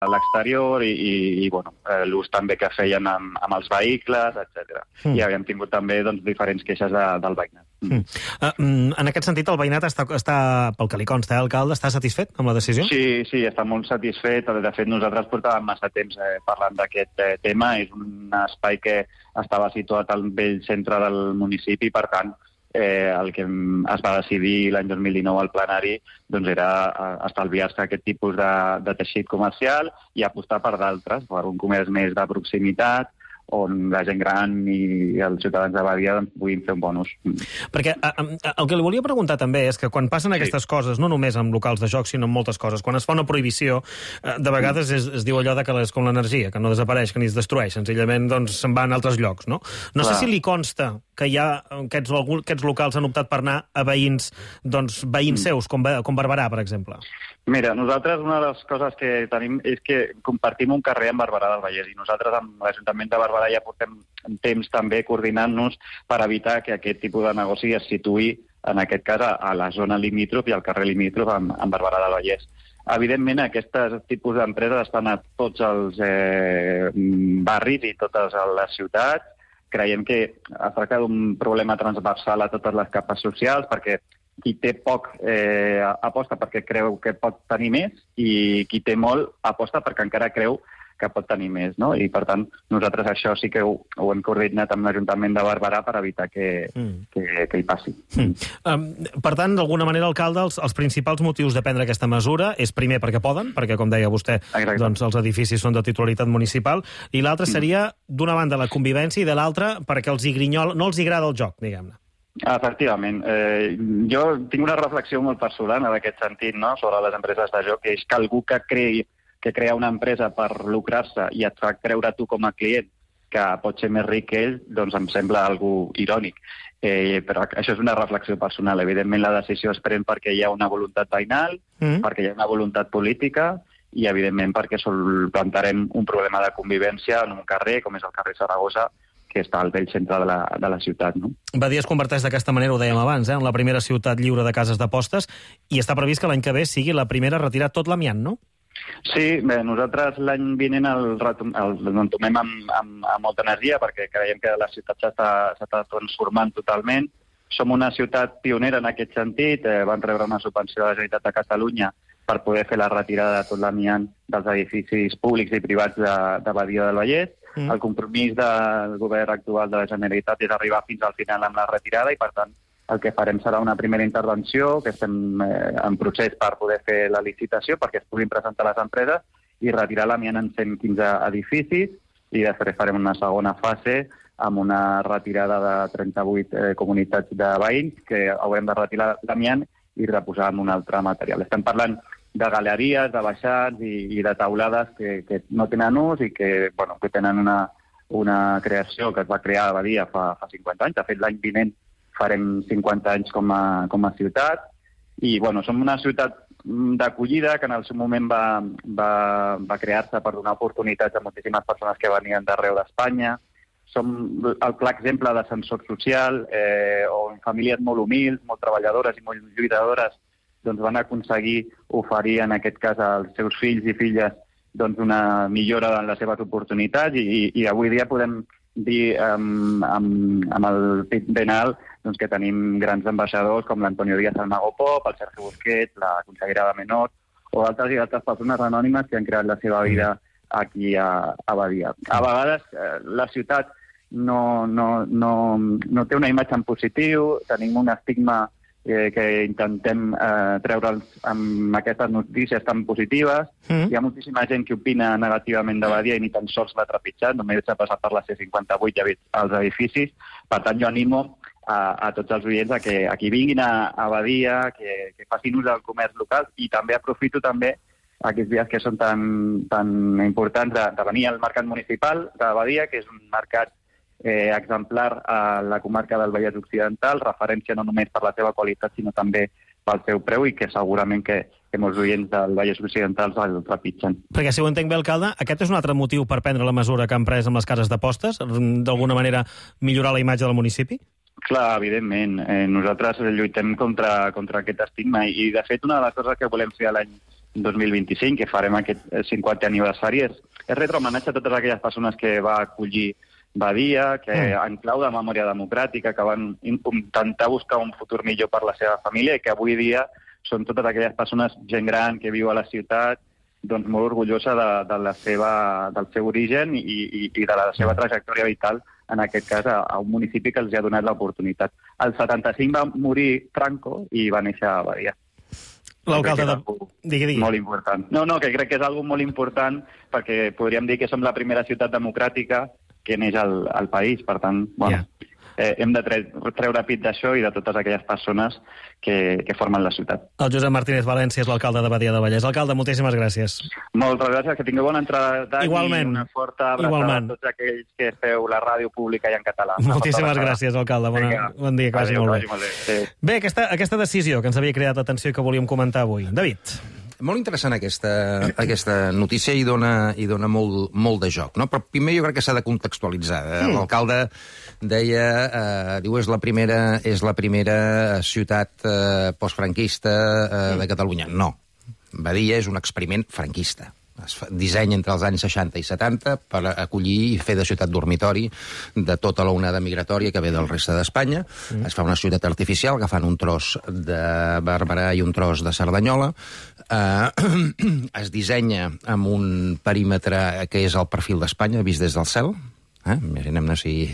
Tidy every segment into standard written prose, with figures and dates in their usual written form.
a l'exterior i bueno, l'ús també que feien amb els vehicles, etc. I havíem tingut també doncs, diferents queixes del veïnat. En aquest sentit, el veïnat està pel que li consta, alcalde, està satisfet amb la decisió? Sí, està molt satisfet. De fet, nosaltres portàvem massa temps parlant d'aquest tema. És un espai que estava situat al vell centre del municipi, per tant, el que es va decidir l'any 2019 al plenari doncs era estalviar-se aquest tipus de teixit comercial i apostar per d'altres, per un comerç més de proximitat, on la gent gran i els ciutadans de Badia doncs, puguin fer un bon ús. Perquè el que li volia preguntar també és que quan passen aquestes coses, no només amb locals de joc, sinó amb moltes coses, quan es fa una prohibició, de vegades es diu allò de que és com l'energia, que no desapareix, que ni es destrueix, senzillament doncs, se'n va a altres llocs, no? No sé si li consta que hi ha aquests locals han optat per anar a veïns seus, com Barberà, per exemple. Mira, nosaltres una de les coses que tenim és que compartim un carrer amb Barberà del Vallès i nosaltres amb l'Ajuntament de Barberà ja portem temps també coordinant-nos per evitar que aquest tipus de negoci es situï, en aquest cas, a la zona limítrof i al carrer limítrof amb Barberà del Vallès. Evidentment, aquests tipus d'empreses estan a tots els barris i totes les ciutats. Creiem que es tracta d'un problema transversal a totes les capes socials, perquè qui té poc aposta perquè creu que pot tenir més i qui té molt aposta perquè encara creu que pot tenir més, no? I, per tant, nosaltres això sí que ho hem coordinat amb l'Ajuntament de Barberà per evitar que hi passi. Per tant, d'alguna manera, alcalde, els principals motius de prendre aquesta mesura és, primer, perquè poden, perquè, com deia vostè, doncs, els edificis són de titularitat municipal, i l'altre seria, d'una banda, la convivència, i de l'altra, perquè no els agrada el joc, diguem-ne. Efectivament. Jo tinc una reflexió molt personal en aquest sentit, no?, sobre les empreses de joc, que és que algú que crea una empresa per lucrar-se i et fa creure tu com a client que pot ser més ric que ell, doncs em sembla algo irònic. Però això és una reflexió personal. Evidentment, la decisió es pren perquè hi ha una voluntat veïnal, perquè hi ha una voluntat política i, evidentment, perquè solventarem un problema de convivència en un carrer, com és el carrer Saragossa, que està al vell centre de la ciutat. No? Badia es converteix d'aquesta manera, ho dèiem abans, en la primera ciutat lliure de cases d'apostes, i està previst que l'any que ve sigui la primera a retirar tot l'amiant, no? Sí, bé, nosaltres l'any vinent l'entomem amb molta energia perquè creiem que la ciutat s'està transformant totalment. Som una ciutat pionera en aquest sentit, vam rebre una subvenció de la Generalitat de Catalunya per poder fer la retirada de tot l'amiant dels edificis públics i privats de Badia del Vallès. El compromís del govern actual de la Generalitat és arribar fins al final amb la retirada i, per tant, el que farem serà una primera intervenció, que estem en procés per poder fer la licitació perquè es puguin presentar les empreses i retirar l'amiant en 115 edificis i després farem una segona fase amb una retirada de 38 comunitats de veïns que haurem de retirar l'amiant i reposar en un altre material. Estem parlant de galeries, de baixats i de taulades que no tenen ús i que tenen una creació que es va crear a Badia fa 50 anys. De fet, l'any vinent farem 50 anys com a ciutat i som una ciutat d'acollida que en el seu moment va crear-se per donar oportunitats a moltíssimes persones que venien d'arreu d'Espanya. Som el clar exemple d'ascensor social on famílies molt humils, molt treballadores i molt lluitadores van aconseguir oferir, en aquest cas, als seus fills i filles una millora en les seves oportunitats i avui dia podem dir amb el pit ben alt que tenim grans ambaixadors com l'Antonio Díaz del Mago Pop, el Sergio Busquets, la consellera de Menor o altres i altres persones anònimes que han creat la seva vida aquí a Badia. A vegades la ciutat no té una imatge en positiu, tenim un estigma que intentem treure'ls amb aquestes notícies tan positives. Hi ha moltíssima gent que opina negativament de Badia i ni tan sols l'ha trepitjat, només ha passat per la C58 i ha vist els edificis. Per tant, jo animo a tots els oients a que vinguin a Badia, que facin ús del comerç local i també aprofito també aquests dies que són tan importants de venir al mercat municipal de Badia, que és un mercat exemplar a la comarca del Vallès Occidental, referència no només per la seva qualitat, sinó també pel seu preu i que segurament que molts oients del Vallès Occidental el trepitgen. Perquè, si ho entenc bé, alcalde, aquest és un altre motiu per prendre la mesura que han pres amb les cases d'apostes? D'alguna manera millorar la imatge del municipi? Clar, evidentment. Nosaltres lluitem contra aquest estigma i, de fet, una de les coses que volem fer l'any 2025, que farem aquest 50è aniversari, és retre homenatge a totes aquelles persones que va acollir Badia, que en clau de memòria democràtica, que van intentar buscar un futur millor per la seva família i que avui dia són totes aquelles persones, gent gran que viu a la ciutat, doncs molt orgullosa del seu origen i de la seva trajectòria vital, en aquest cas a un municipi que els ha donat l'oportunitat. El 75 va morir Franco i va néixer a Badia. L'alcalde de... Digui. Molt important. No, que crec que és algo molt important perquè podríem dir que som la primera ciutat democràtica que neix al país. Per tant, bueno, hem de treure pit d'això i de totes aquelles persones que formen la ciutat. El Josep Martínez València és l'alcalde de Badia del Vallès. Alcalde, moltíssimes gràcies. Moltes gràcies, que tingueu bona entrada d'any. Igualment. I una forta abraçada a tots aquells que feu la ràdio pública i en català. Moltíssimes gràcies, alcalde. Bon dia, que vagi molt bé. Sí. Bé, aquesta decisió que ens havia cridat l'atenció i que volíem comentar avui. David. Molt interessant aquesta notícia i dona molt de joc, no? Però primer jo crec que s'ha de contextualitzar. L'alcalde deia, diu, és la primera ciutat postfranquista de Catalunya. No, Badia és un experiment franquista. Es dissenya entre els anys 60 i 70 per acollir i fer de ciutat dormitori de tota la onada migratòria que ve del reste d'Espanya. Es fa una ciutat artificial agafant un tros de Barberà i un tros de Cerdanyola. Es dissenya amb un perímetre que és el perfil d'Espanya vist des del cel. Imaginem-ne si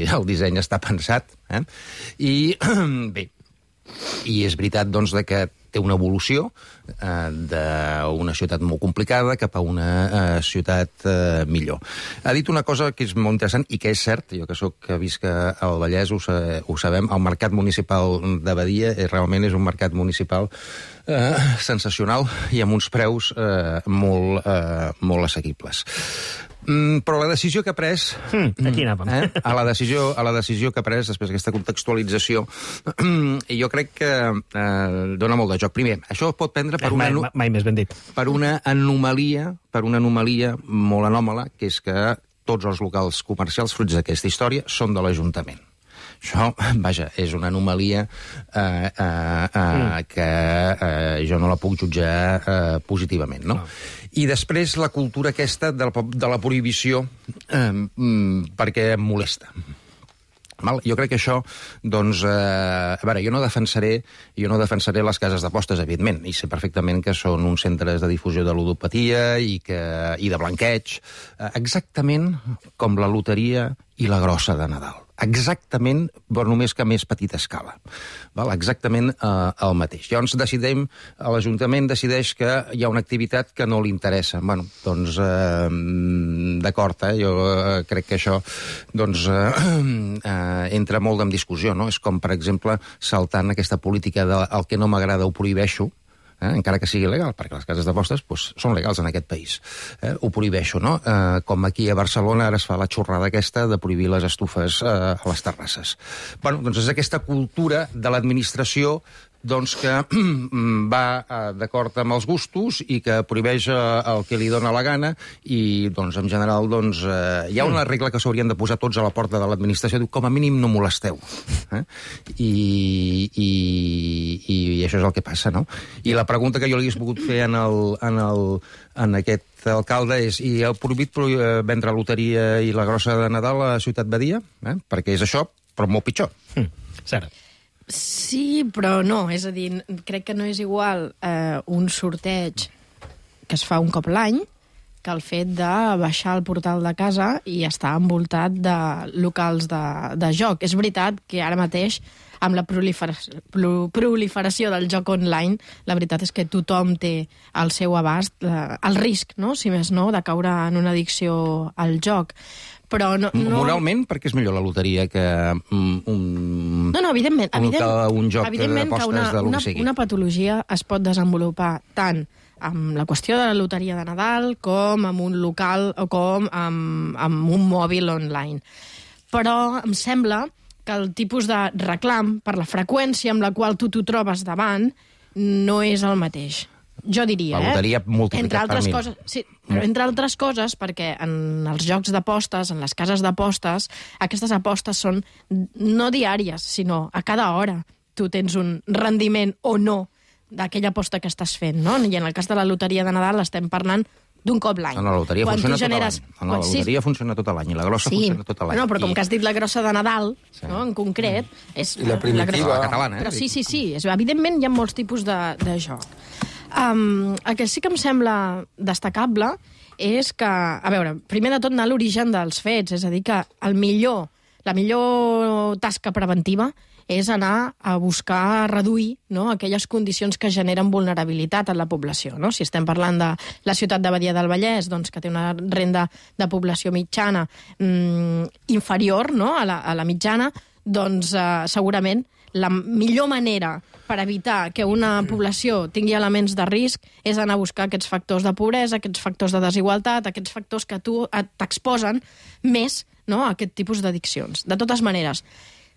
el disseny està pensat. I bé, i és veritat doncs que té una evolució d'una ciutat molt complicada cap a una ciutat millor. Ha dit una cosa que és molt interessant i que és cert, jo que visc al Vallès ho sabem, el mercat municipal de Badia realment és un mercat municipal sensacional i amb uns preus molt assequibles. Però la decisió que ha pres... Aquí anàvem. A la decisió que ha pres, després d'aquesta contextualització, jo crec que dona molt de joc. Primer, això es pot prendre per mai més ben dit. Per una anomalia molt anòmala, que és que tots els locals comercials fruits d'aquesta història són de l'Ajuntament. Això, vaja, és una anomalia que jo no la puc jutjar positivament, no? I després la cultura aquesta de la prohibició perquè em molesta. Jo crec que això, doncs, a veure, jo no defensaré les cases d'apostes, evidentment, i sé perfectament que són uns centres de difusió de ludopatia i de blanqueig, exactament com la loteria i la grossa de Nadal. Exactament, però només que a més petita escala. Exactament el mateix. Llavors l'Ajuntament decideix que hi ha una activitat que no li interessa. Bueno, doncs, d'acord, jo crec que això entra molt en discussió, no? És com, per exemple, saltant aquesta política de el que no m'agrada ho prohibeixo, encara que sigui legal, perquè les cases d'apostes són legals en aquest país. Ho prohibeixo, no? Com aquí a Barcelona ara es fa la xorrada aquesta de prohibir les estufes a les terrasses. Bueno, doncs és aquesta cultura de l'administració doncs que va d'acord amb els gustos i que prohibeix el que li dóna la gana i, doncs, en general, doncs, hi ha una regla que s'haurien de posar tots a la porta de l'administració, diu, com a mínim no molesteu. I això és el que passa, no? I la pregunta que jo li hagués pogut fer en aquest alcalde és, i heu prohibit vendre loteria i la grossa de Nadal a Ciutat Badia? Perquè és això, però molt pitjor. Cert. Sí, però no. És a dir, crec que no és igual un sorteig que es fa un cop l'any que el fet de baixar al portal de casa i estar envoltat de locals de joc. És veritat que ara mateix, amb la proliferació del joc online, la veritat és que tothom té al seu abast el risc, no? Si més no, de caure en una addicció al joc. Però no... Moralment, perquè és millor la loteria que un joc d'apostes de lo que sigui. Una patologia es pot desenvolupar tant amb la qüestió de la loteria de Nadal com amb un local o com amb un mòbil online. Però em sembla que el tipus de reclam, per la freqüència amb la qual tu t'ho trobes davant, no és el mateix. Jo diria, la loteria multiplicat per 1000. Coses, sí, però entre altres coses, perquè en els jocs d'apostes, en les cases d'apostes, aquestes apostes són no diàries, sinó a cada hora. Tu tens un rendiment o no d'aquella aposta que estàs fent, no? I en el cas de la loteria de Nadal estem parlant d'un cop l'any. No, la loteria funciona tot l'any. La loteria funciona tot l'any i la grossa funciona tot l'any. No, però com que has dit la grossa de Nadal, no, en concret... És I la primitiva. La catalana, Però sí. Evidentment hi ha molts tipus de joc. El que sí que em sembla destacable és que, a veure, primer de tot anar a l'origen dels fets, és a dir, que la millor tasca preventiva és anar a buscar reduir, no, aquelles condicions que generen vulnerabilitat en la població. No? Si estem parlant de la ciutat de Badia del Vallès, doncs, que té una renda de població mitjana inferior, no, a la mitjana, doncs segurament la millor manera per evitar que una població tingui elements de risc és anar a buscar aquests factors de pobresa, aquests factors de desigualtat, aquests factors que t'exposen més, no, a aquest tipus d'addiccions. De totes maneres,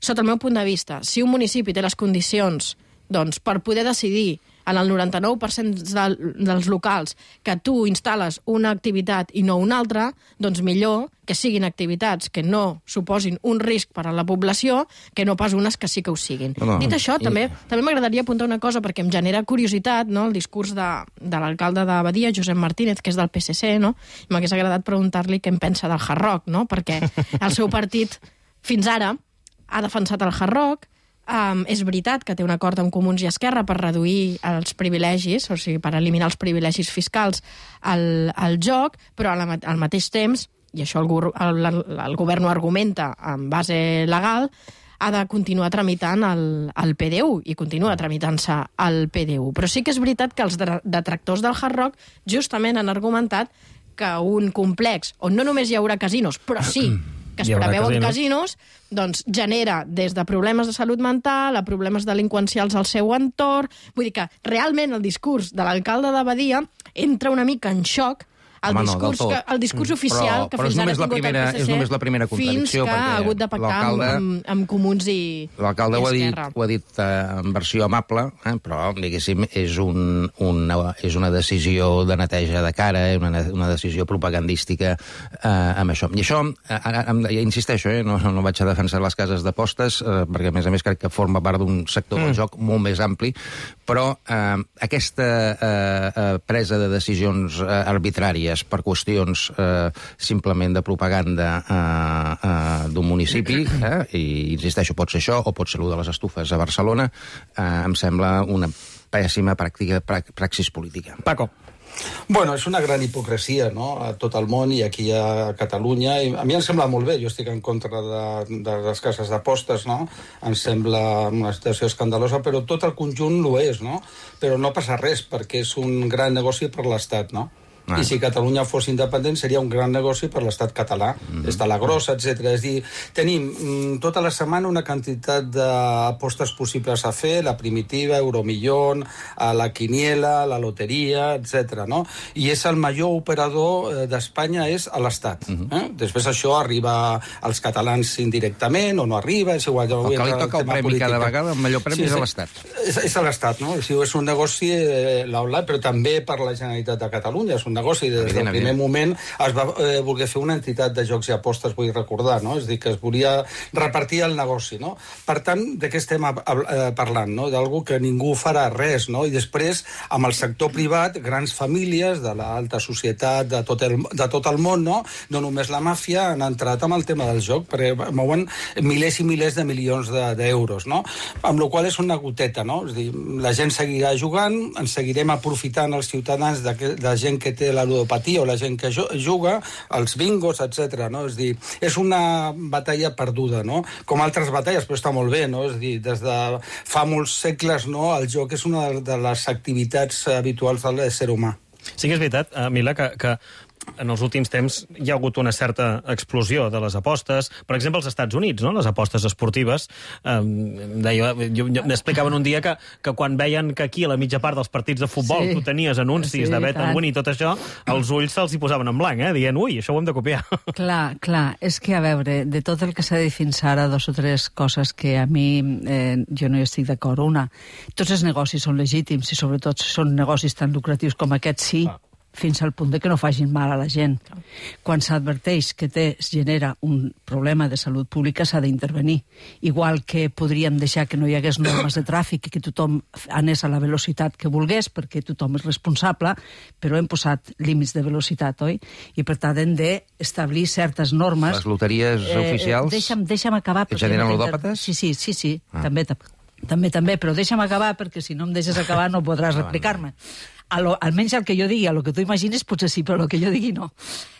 sota el meu punt de vista, si un municipi té les condicions, doncs, per poder decidir en el 99% dels locals que tu instal·les una activitat i no una altra, doncs millor que siguin activitats que no suposin un risc per a la població que no pas unes que sí que ho siguin. Dit això, també m'agradaria apuntar una cosa perquè em genera curiositat, no?, el discurs de l'alcalde de Badia, Josep Martínez, que és del PSC, no? I m'hagués agradat preguntar-li què en pensa del Hard Rock, no? Perquè el seu partit, fins ara, ha defensat el Hard Rock. És veritat que té un acord amb Comuns i Esquerra per reduir els privilegis, o sigui, per eliminar els privilegis fiscals al joc, però al mateix temps, i això el govern ho argumenta en base legal, ha de continuar tramitant el PDU, i continua tramitant-se el PDU. Però sí que és veritat que els detractors del Hard Rock justament han argumentat que un complex on no només hi haurà casinos, però sí que es preveuen casinos, doncs genera des de problemes de salut mental a problemes delinqüencials al seu entorn. Vull dir que realment el discurs de l'alcalde de Badia entra una mica en xoc el discurs oficial que fins ara ha tingut el PSC, és només la primera contradicció, fins que ha hagut de pactar amb Comuns i Esquerra. L'alcalde ho ha dit en versió amable, però, diguéssim, és una decisió de neteja de cara, una decisió propagandística amb això. I això, insisteixo, no vaig a defensar les cases d'apostes, perquè, a més, crec que forma part d'un sector del joc molt més ampli, però aquesta presa de decisions arbitràries per qüestions simplement de propaganda d'un municipi, i insisteixo, pot ser això o pot ser allò de les estufes a Barcelona, em sembla una pèssima praxis política. Paco. Bueno, és una gran hipocresia, no?, a tot el món i aquí a Catalunya. I a mi em sembla molt bé, jo estic en contra de les cases d'apostes, no? Em sembla una situació escandalosa, però tot el conjunt ho és, no? Però no passa res, perquè és un gran negoci per l'Estat, no? I si Catalunya fos independent seria un gran negoci per l'estat català. Està la grossa, etc. És dir, tenim tota la setmana una quantitat d'apostes possibles a fer, la primitiva, Euromillón, la quiniela, la loteria, etc. No? I és el major operador d'Espanya és a l'Estat. Després això arriba als catalans indirectament o no arriba, és igual. El que li toca el premi cada vegada, el millor premi és a l'Estat. És a l'Estat, no? És un negoci l'Aula, però també per la Generalitat de Catalunya. És un negoci. Des del primer moment es va voler fer una entitat de jocs i apostes, vull recordar, no? És a dir, que es volia repartir el negoci, no? Per tant, de què estem parlant, no? D'algú que ningú farà res, no? I després, amb el sector privat, grans famílies de l'alta societat de tot el món, no? No només la màfia, han entrat amb el tema del joc, perquè mouen milers i milers de milions d'euros, no? Amb la qual és una goteta, no? És a dir, la gent seguirà jugant, ens seguirem aprofitant els ciutadans de gent que té la ludopatia o la gent que juga, els bingos, etc. No? És dir, és una batalla perduda, no? Com altres batalles, però està molt bé, no? És dir, des de fa molts segles, no? El joc és una de les activitats habituals de l'ésser humà. Sí que és veritat, Mila, que en els últims temps hi ha hagut una certa explosió de les apostes. Per exemple, als Estats Units, no? Les apostes esportives. M'explicaven un dia que quan veien que aquí, a la mitja part dels partits de futbol, tu tenies anuncis de Bet and Win i tot això, els ulls se'ls hi posaven en blanc, dient, ui, això ho hem de copiar. Clar, és que, a veure, de tot el que s'ha dit fins ara, 2 o 3 coses que a mi jo no hi estic d'acord. Una, tots els negocis són legítims i sobretot són negocis tan lucratius com aquests, sí. fins al punt de que no facin mal a la gent. Quan s'adverteix que es genera un problema de salut pública, s'ha d'intervenir. Igual que podríem deixar que no hi hagués normes de tràfic i que tothom anés a la velocitat que volgués, perquè tothom és responsable, però hem posat límits de velocitat, oi? I per tant hem d'establir certes normes. Les loteries oficials deixa'm acabar, que generen ludòpates? Sí, també, però deixa'm acabar, perquè si no em deixes acabar no podràs replicar-me. Almenys el que jo digui, el que tu imagines potser sí, però el que jo digui no.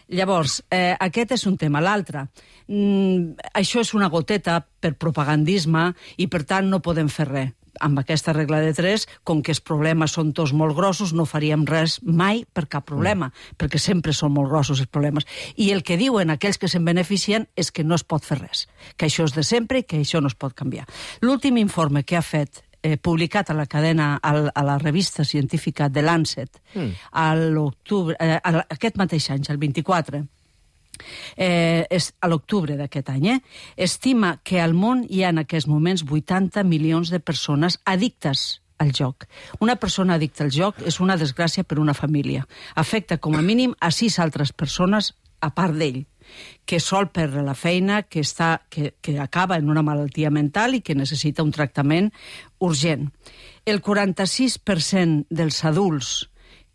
Llavors, aquest és un tema. L'altre, això és una goteta per propagandisme i per tant no podem fer res. Amb aquesta regla de 3, com que els problemes són tots molt grossos, no faríem res mai per cap problema, perquè sempre són molt grossos els problemes. I el que diuen aquells que se'n beneficien és que no es pot fer res, que això és de sempre i que això no es pot canviar. L'últim informe que ha fet publicat a la cadena, a la revista científica The Lancet, a l'octubre, aquest mateix any, el 24, a l'octubre d'aquest any, estima que al món hi ha en aquests moments 80 milions de persones addictes al joc. Una persona addicta al joc és una desgràcia per una família. Afecta com a mínim a 6 altres persones a part d'ell, que sol perdre la feina, que acaba en una malaltia mental i que necessita un tractament urgent. El 46% dels adults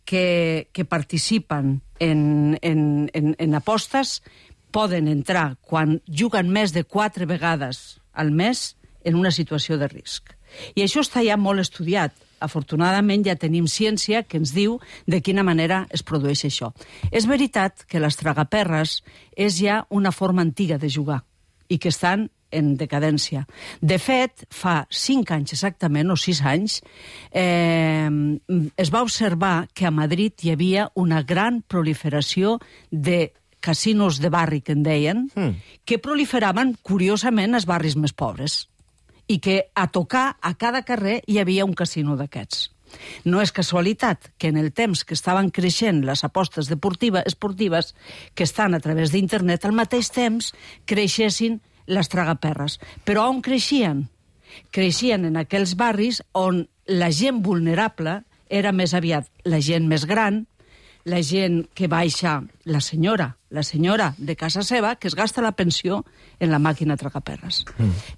que participen en apostes poden entrar, quan juguen més de 4 vegades al mes, en una situació de risc. I això està ja molt estudiat. Afortunadament ja tenim ciència que ens diu de quina manera es produeix això. És veritat que les tragaperres és ja una forma antiga de jugar i que estan en decadència. De fet, fa 5 anys exactament, o 6 anys, es va observar que a Madrid hi havia una gran proliferació de casinos de barri, que en deien, que proliferaven, curiosament, als barris més pobres. I que a tocar a cada carrer hi havia un casino d'aquests. No és casualitat que en el temps que estaven creixent les apostes esportives que estan a través d'internet, al mateix temps creixessin les tragaperres. Però on creixien? Creixien en aquells barris on la gent vulnerable era més aviat la gent més gran, la gent que baixa, la senyora de casa seva, que es gasta la pensió en la màquina tragaperres.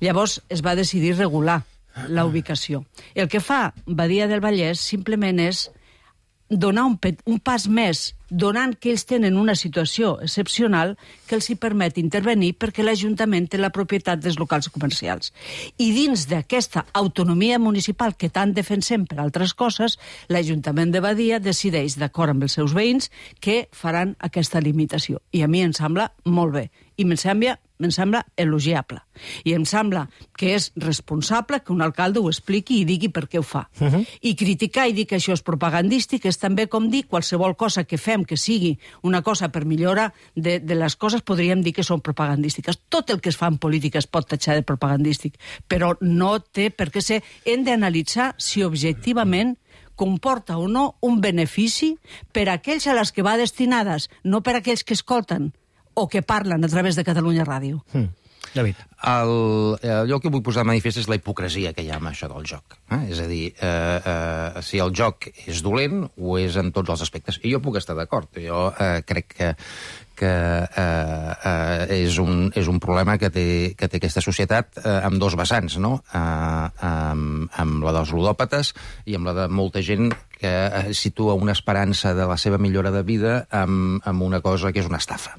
Llavors es va decidir regular la ubicació. El que fa Badia del Vallès simplement és donar un pas més, donant que ells tenen una situació excepcional que els hi permet intervenir perquè l'Ajuntament té la propietat dels locals comercials. I dins d'aquesta autonomia municipal que tant defensem per altres coses, l'Ajuntament de Badia decideix, d'acord amb els seus veïns, que faran aquesta limitació. I a mi em sembla molt bé. I em sembla elogiable. I em sembla que és responsable que un alcalde ho expliqui i digui per què ho fa. I criticar i dir que això és propagandístic és també com dir qualsevol cosa que fem que sigui una cosa per millora de les coses, podríem dir que són propagandístiques. Tot el que es fa en política es pot tatxar de propagandístic, però no té per què ser. Hem d'analitzar si objectivament comporta o no un benefici per a aquells a les que va destinades, no per a aquells que escolten o que parlen a través de Catalunya Ràdio. David. Allò que vull posar de manifest és la hipocresia que hi ha amb això del joc. És a dir, si el joc és dolent, ho és en tots els aspectes. I jo puc estar d'acord. Jo crec que és un problema que té aquesta societat amb dos vessants, no? Amb la dels ludòpates i amb la de molta gent que situa una esperança de la seva millora de vida amb una cosa que és una estafa.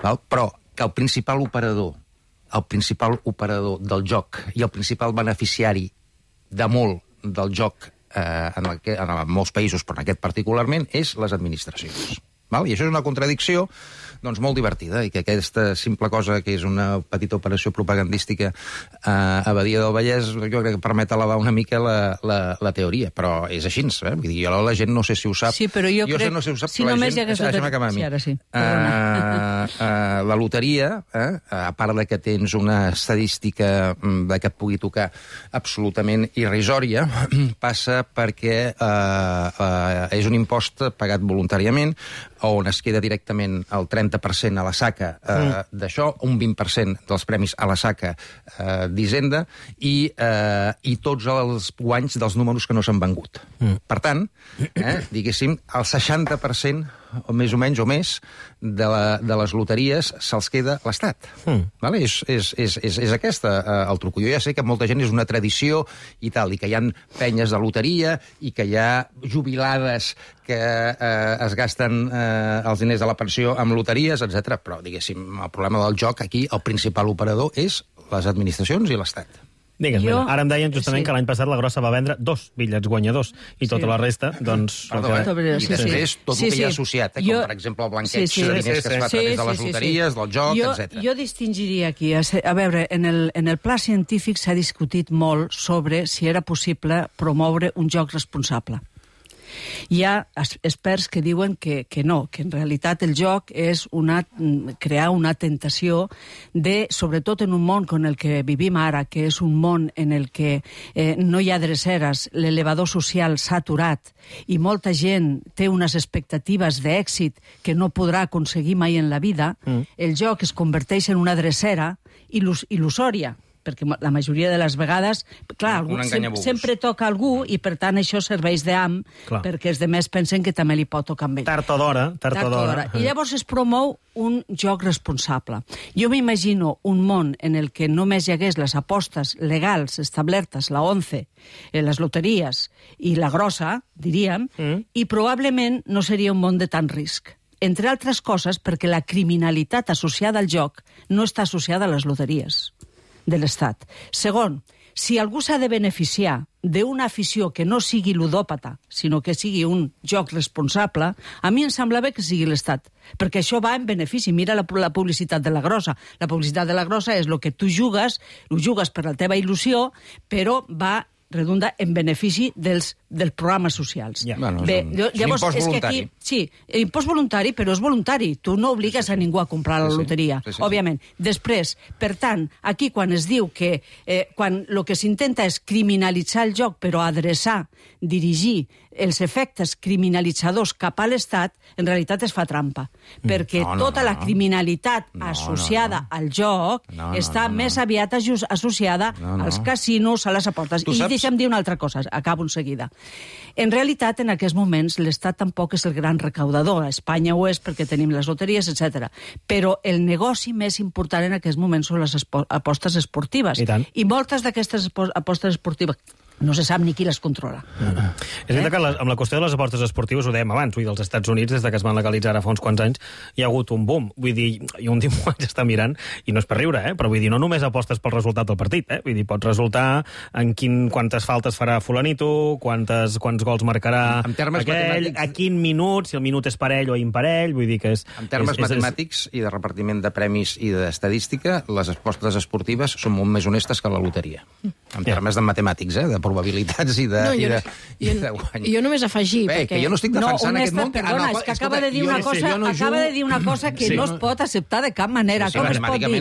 Però que el principal operador del joc i el principal beneficiari de molt del joc en molts països, però en aquest particularment, és les administracions. I això és una contradicció molt divertida, i que aquesta simple cosa que és una petita operació propagandística a Badia del Vallès, jo crec que permet elevar una mica la teoria, però és així, vull dir, la gent no sé si ho sap. Sí, però jo crec... no sé si ho sap, si només hi hagués... Deixa'm acabar a mi. Sí, ara sí. la loteria, a part de que tens una estadística de que et pugui tocar absolutament irrisòria, passa perquè és un impost pagat voluntàriament, on es queda directament el 30% a la saca d'això, un 20% dels premis a la saca d'Hisenda i tots els guanys dels números que no s'han vengut. Per tant, diguéssim, el 60% o més o menys o més de les loteries se'ls queda l'Estat. Vale? És aquesta el truco. Jo ja sé que molta gent és una tradició i tal, i que hi ha penyes de loteria i que hi ha jubilades que es gasten els diners de la pensió amb loteries, etc. Però, diguéssim, el problema del joc aquí, el principal operador és les administracions i l'Estat. Digues, ara em deien justament que l'any passat la Grossa va vendre 2 bitllets guanyadors i tota la resta, doncs... Perdó, I després tot el que hi ha associat, com per exemple el blanqueig de diners que es fa a través de les loteries, del joc, etc. Jo distingiria aquí, a veure, en el pla científic s'ha discutit molt sobre si era possible promoure un joc responsable. Hi ha experts que diuen que no, que en realitat el joc és crear una tentació de, sobretot en un món com el que vivim ara, que és un món en el que no hi ha dreceres, l'elevador social s'ha aturat i molta gent té unes expectatives d'èxit que no podrà aconseguir mai en la vida, el joc es converteix en una drecera il·lusòria, perquè la majoria de les vegades, clar, sempre toca algú i per tant això serveix d'am perquè els demés pensen que també li pot tocar amb ell. Tard o d'hora. I llavors es promou un joc responsable. Jo m'imagino un món en el que només hi hagués les apostes legals establertes, la 11, les loteries i la grossa, diríem, i probablement no seria un món de tant risc. Entre altres coses perquè la criminalitat associada al joc no està associada a les loteries de l'Estat. Segon, si algú s'ha de beneficiar d'una afició que no sigui ludòpata, sinó que sigui un joc responsable, a mi em sembla bé que sigui l'Estat, perquè això va en benefici. Mira la publicitat de la grossa. La publicitat de la grossa és el que tu jugues, ho jugues per la teva il·lusió, però redunda en benefici dels programes socials. Bé, llavors, és que aquí... Sí, impost voluntari, però és voluntari. Tu no obligues a ningú a comprar la loteria, òbviament. Després, per tant, aquí quan es diu que quan el que s'intenta és criminalitzar el joc, però adreçar, dirigir els efectes criminalitzadors cap a l'Estat, en realitat es fa trampa. Perquè tota la criminalitat associada al joc està més aviat associada als casinos, a les apostes. I deixa'm dir una altra cosa, acabo en seguida. En realitat, en aquests moments, l'Estat tampoc és el gran recaudador. A Espanya ho és perquè tenim les loteries, etc. Però el negoci més important en aquests moments són les apostes esportives. I moltes d'aquestes apostes esportives no se sap ni qui les controla. És veritat que amb la qüestió de les apostes esportives, ho dèiem abans, vull dir, als Estats Units, des que es van legalitzar ara fa uns quants anys, hi ha hagut un boom. Vull dir, i un dia m'ho vaig estar mirant, i no és per riure, però vull dir, no només apostes pel resultat del partit, vull dir, pot resultar en quantes faltes farà fulanito, quants gols marcarà aquell, a quin minut, si el minut és parell o imparell, vull dir que és... En termes matemàtics i de repartiment de premis i d'estadística, les apostes esportives són molt més honestes que la loteria. En termes de matemàtics, de probabilitats i de guany. Jo només afegir... Que jo no estic defensant aquest món... Perdona, és que acaba de dir una cosa que no es pot acceptar de cap manera. Com es pot dir?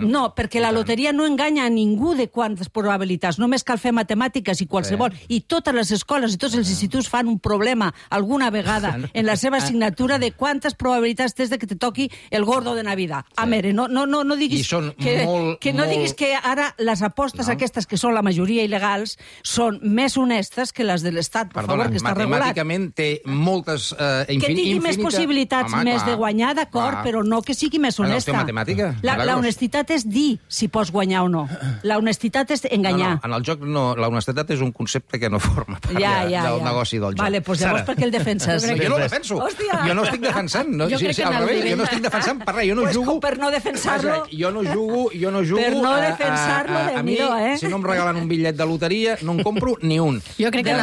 No, perquè la loteria no enganya a ningú de quantes probabilitats. Només cal fer matemàtiques i qualsevol. I totes les escoles i tots els instituts fan un problema alguna vegada en la seva assignatura de quantes probabilitats tens de que te toqui el gordo de Navidad. A veure, no diguis que ara les apostes aquestes, que són la majoria il·legals, són més honestes que les de l'Estat, per favor, que està regulat. Matemàticament té moltes... Que tingui més possibilitats més de guanyar, d'acord, però no que sigui més honesta. La honestitat és dir si pots guanyar o no. La honestitat és enganyar. En el joc no, la honestitat és un concepte que no forma part del negoci del joc. Vale, doncs llavors per què el defenses? Jo no el defenso. Jo no estic defensant. Jo no estic defensant per res. Jo no jugo... Per no defensar-lo... Jo no jugo... Per no defensar-lo, Déu-n'hi-do, si no em regalen un bitllet de loteria, no en compro ni un. Jo crec que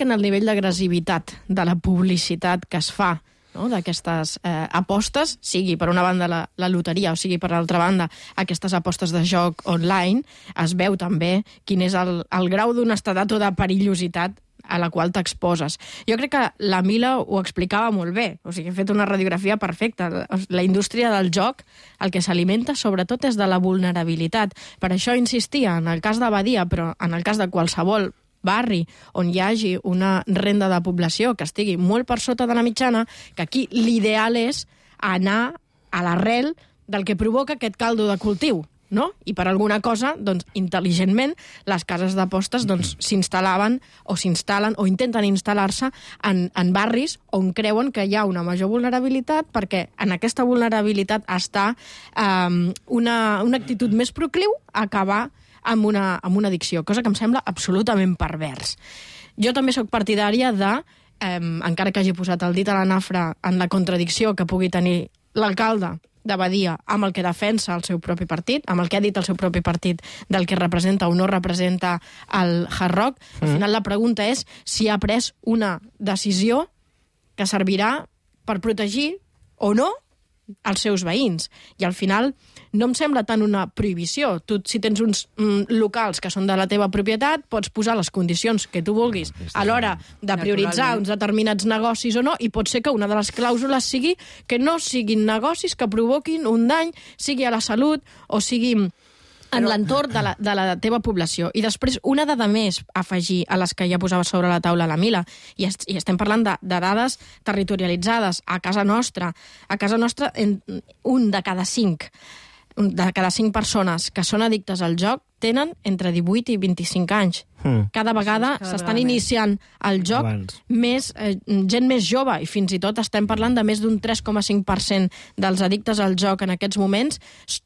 en el nivell d'agressivitat de la publicitat que es fa d'aquestes apostes, sigui per una banda la loteria o sigui per l'altra banda aquestes apostes de joc online, es veu també quin és el grau d'honestedat o de perillositat a la qual t'exposes. Jo crec que la Mila ho explicava molt bé, o sigui, ha fet una radiografia perfecta. La indústria del joc, el que s'alimenta sobretot és de la vulnerabilitat. Per això insistia en el cas de Badia, però en el cas de qualsevol barri on hi hagi una renda de població que estigui molt per sota de la mitjana, que aquí l'ideal és anar a l'arrel del que provoca aquest caldo de cultiu, no? I per alguna cosa, doncs, intel·ligentment, les cases d'apostes doncs, s'instal·laven o s'instal·len o intenten instal·lar-se en barris on creuen que hi ha una major vulnerabilitat, perquè en aquesta vulnerabilitat està una actitud més procliu a acabar amb una addicció, cosa que em sembla absolutament pervers. Jo també sóc partidària de, encara que hagi posat el dit a la nafra en la contradicció que pugui tenir l'alcalde de Badia amb el que defensa el seu propi partit, amb el que ha dit el seu propi partit del que representa o no representa el Hard Rock. Al final la pregunta és si ha pres una decisió que servirà per protegir o no els seus veïns. I al final no em sembla tant una prohibició. Tu, si tens uns locals que són de la teva propietat, pots posar les condicions que tu vulguis a l'hora de prioritzar uns determinats negocis o no, i pot ser que una de les clàusules sigui que no siguin negocis que provoquin un dany, sigui a la salut o sigui en l'entorn de la teva població. I després, una dada més a afegir a les que ja posava sobre la taula la Mila, i estem parlant de dades territorialitzades a casa nostra. A casa nostra, un de cada cinc persones que són addictes al joc tenen entre 18 i 25 anys. Cada vegada s'estan iniciant el joc gent més jove, i fins i tot estem parlant de més d'un 3,5% dels addictes al joc en aquests moments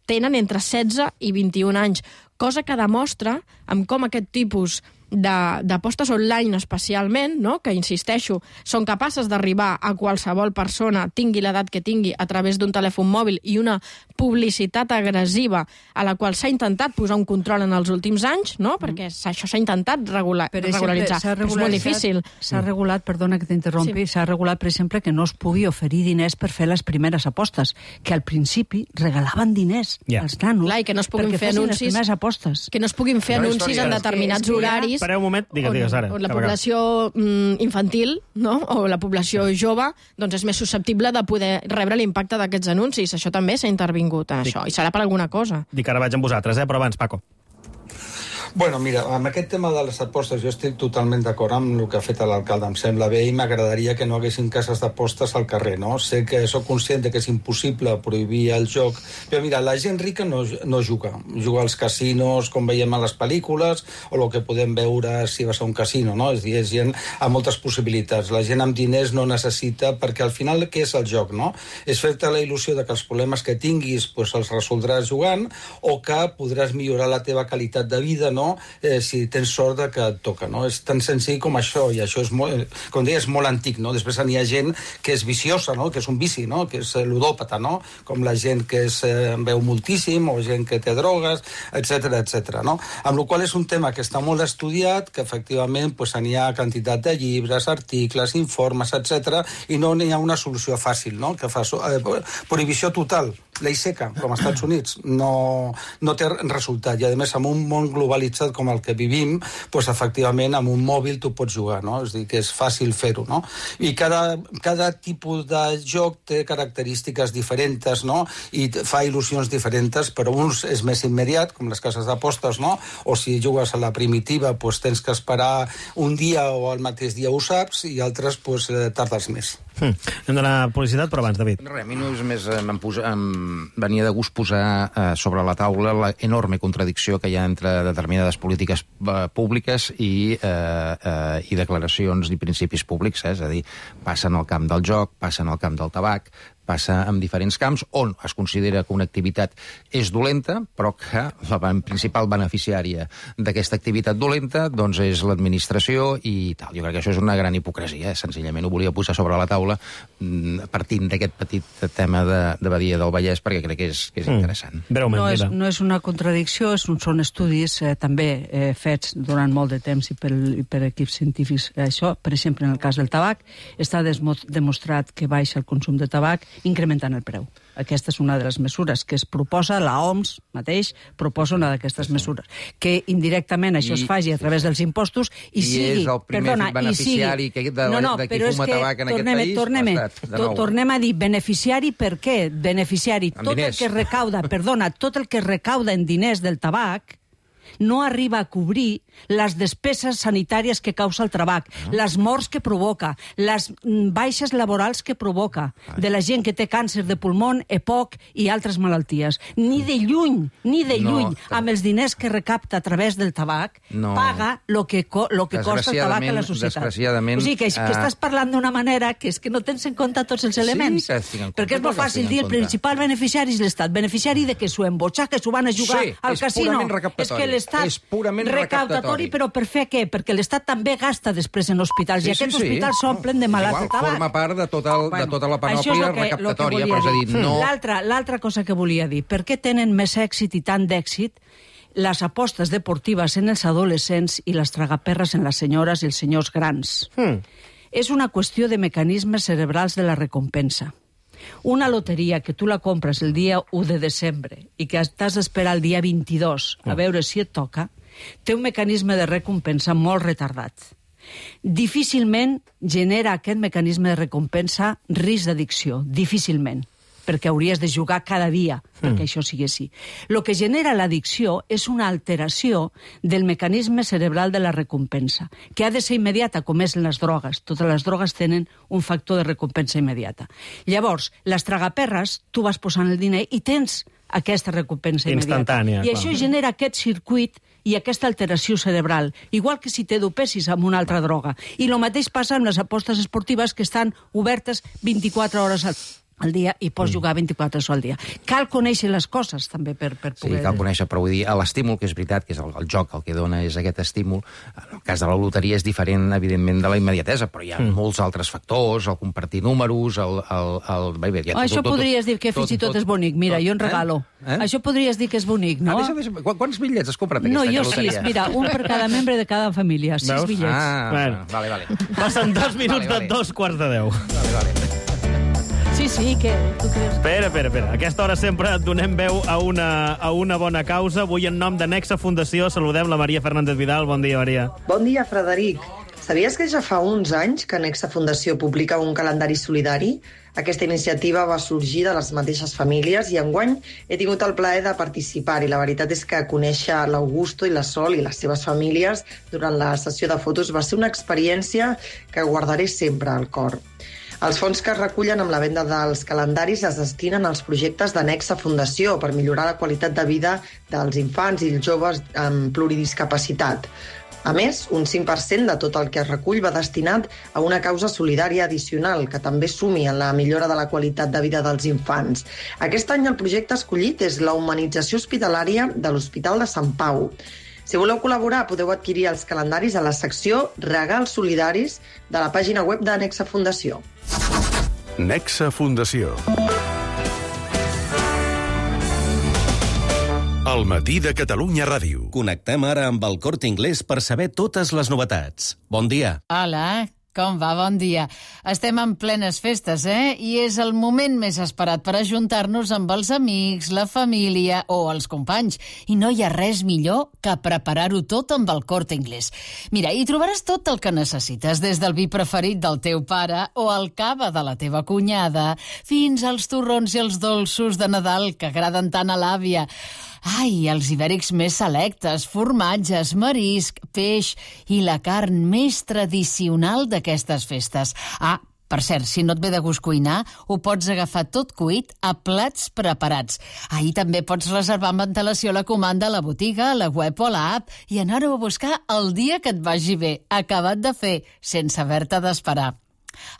tenen entre 16 i 21 anys, cosa que demostra amb com aquest tipus d'apostes online especialment, no? Que, insisteixo, són capaces d'arribar a qualsevol persona, tingui l'edat que tingui, a través d'un telèfon mòbil i una publicitat agressiva a la qual s'ha intentat posar un control en els últims anys, no? Perquè això s'ha intentat regularitzar. Però és molt difícil. S'ha regulat, perdona que t'interrompi, s'ha regulat, per exemple, que no es pugui oferir diners per fer les primeres apostes, que al principi regalaven diners als nanos. Clar, i que no es puguin fer anuncis, que no es puguin fer anuncis en determinats horaris. Espereu un moment, digues ara. On la població infantil, no? O la població jove, doncs és més susceptible de poder rebre l'impacte d'aquests anuncis. Això també s'ha intervingut en això, i serà per alguna cosa. Dic, ara vaig amb vosaltres, però abans, Paco. Bueno, mira, amb aquest tema de les apostes jo estic totalment d'acord amb el que ha fet l'alcalde, em sembla bé, i m'agradaria que no haguessin cases d'apostes al carrer, no? Sé que sóc conscient que és impossible prohibir el joc, però mira, la gent rica no juga als casinos, com veiem a les pel·lícules, o el que podem veure si vas a un casino, no? És a dir, és gent amb moltes possibilitats. La gent amb diners no necessita, perquè al final què és el joc, no? És fer-te la il·lusió de que els problemes que tinguis pues, els resoldràs jugant, o que podràs millorar la teva qualitat de vida, no? Si tens sort de que et toca, no? És tan senzill com això, i això és molt, com deia, és molt antic, no? Després n'hi ha gent que és viciosa, no? Que és un vici, no? Que és ludòpata, no? Com la gent que veu moltíssim, o gent que té drogues, etc, no? Amb la qual és un tema que està molt estudiat, que efectivament pues, n'hi ha quantitat de llibres, articles, informes, etc, i no n'hi ha una solució fàcil, no? Que fa prohibició total, llei seca, com als Estats Units, no té resultat. I, a més, amb un món globalitzat com el que vivim, doncs, efectivament, amb un mòbil tu pots jugar, no? És a dir, que és fàcil fer-ho, no? I cada tipus de joc té característiques diferents, no? I fa il·lusions diferents, però uns és més immediat, com les cases d'apostes, no? O si jugues a la primitiva, doncs tens que esperar un dia o el mateix dia ho saps, i altres, doncs, tardes més. Hem d'anar a publicitat, però abans, David. A mi només em venia de gust posar sobre la taula la enorme contradicció que hi ha entre determinades polítiques públiques i declaracions i principis públics, és a dir, passa en el camp del joc, passa en el camp del tabac, passa en diferents camps on es considera que una activitat és dolenta, però que la principal beneficiària d'aquesta activitat dolenta doncs és l'administració i tal. Jo crec que això és una gran hipocresia, senzillament ho volia posar sobre la taula partint d'aquest petit tema de Badia del Vallès, perquè crec que és interessant. Breument, no és una contradicció, són estudis també fets durant molt de temps i per equips científics. Això, per exemple, en el cas del tabac, està demostrat que baixa el consum de tabac incrementant el preu. Aquesta és una de les mesures que es proposa, la OMS mateix proposa una d'aquestes mesures. Que indirectament això es faci a través dels impostos i sigui... és el primer beneficiari de qui fuma tabac en aquest país? Tornem a dir beneficiari per què? Beneficiari. Tot el que recauda en diners del tabac no arriba a cobrir les despeses sanitàries que causa el tabac, les morts que provoca, les baixes laborals que provoca, de la gent que té càncer de pulmó, EPOC i altres malalties. Ni de lluny, amb els diners que recapta a través del tabac, paga el que costa el tabac a la societat. O sigui, que estàs parlant d'una manera que és que no tens en compte tots els elements. Perquè és molt fàcil dir el principal beneficiari és l'Estat. Beneficiari de que s'ho embotxar, que s'ho van a jugar al casino. És que l'Estat recaptatori, però per fer què? Perquè l'Estat també gasta després en hospitals, i aquests hospitals s'omplen de malalts de tabac. Forma part de tota la panòplia recaptatòria, però és a dir, no... L'altra cosa que volia dir, per què tenen més èxit i tant d'èxit les apostes deportives en els adolescents i les tragaperres en les senyores i els senyors grans? És una qüestió de mecanismes cerebrals de la recompensa. Una loteria que tu la compres el dia 1 de desembre i que t'has d'esperar el dia 22 a veure si et toca, té un mecanisme de recompensa molt retardat. Difícilment genera aquest mecanisme de recompensa risc d'addicció, difícilment, perquè hauries de jugar cada dia perquè això sigui així. El que genera l'addicció és una alteració del mecanisme cerebral de la recompensa, que ha de ser immediata, com és en les drogues. Totes les drogues tenen un factor de recompensa immediata. Llavors, les tragaperres, tu vas posant el diner i tens aquesta recompensa immediata. I això genera aquest circuit i aquesta alteració cerebral, igual que si t'edopessis amb una altra droga. I el mateix passa amb les apostes esportives que estan obertes 24 hores al dia i pots jugar 24 hores al dia. Cal conèixer les coses, també, per poder... Sí, cal conèixer, però vull dir, l'estímul, que és veritat, que és el joc el que dona és aquest estímul, en el cas de la loteria és diferent, evidentment, de la immediatesa, però hi ha molts altres factors, el compartir números, Això podries dir que fins i tot és bonic. Mira, jo en regalo. Això podries dir que és bonic, no? Quants bitllets has comprat aquesta loteria? No, jo 6. Mira, un per cada membre de cada família. 6 bitllets. Vale. Passen 2 minuts de 2:45. Vale. Sí, que tu creus... Espera. A aquesta hora sempre donem veu a una bona causa. Avui, en nom de Nexa Fundació, saludem la Maria Fernández Vidal. Bon dia, Maria. Bon dia, Frederic. Sabies que ja fa uns anys que Nexa Fundació publica un calendari solidari? Aquesta iniciativa va sorgir de les mateixes famílies i enguany he tingut el plaer de participar i la veritat és que conèixer l'Augusto i la Sol i les seves famílies durant la sessió de fotos va ser una experiència que guardaré sempre al cor. Els fons que es recullen amb la venda dels calendaris es destinen als projectes de Nexa Fundació per millorar la qualitat de vida dels infants i els joves amb pluridiscapacitat. A més, un 5% de tot el que es recull va destinat a una causa solidària addicional que també sumi en la millora de la qualitat de vida dels infants. Aquest any el projecte escollit és la humanització hospitalària de l'Hospital de Sant Pau. Si voleu col·laborar, podeu adquirir els calendaris a la secció Regals Solidaris de la pàgina web de Nexa Fundació. Nexa Fundació. El matí de Catalunya Ràdio. Connectem ara amb el Corte Inglés per saber totes les novetats. Bon dia. Hola, com va? Bon dia. Estem en plenes festes, I és el moment més esperat per ajuntar-nos amb els amics, la família o els companys. I no hi ha res millor que preparar-ho tot amb el Corte Inglés. Mira, hi trobaràs tot el que necessites, des del vi preferit del teu pare o el cava de la teva cunyada, fins als torrons i els dolços de Nadal que agraden tant a l'àvia. Ai, els ibèrics més selectes, formatges, marisc, peix i la carn més tradicional d'aquestes festes. Per cert, si no et ve de gust cuinar, ho pots agafar tot cuit a plats preparats. Ahir també pots reservar amb antelació la comanda a la botiga, a la web o a l'app i anar-ho a buscar el dia que et vagi bé, acabat de fer, sense haver-te d'esperar.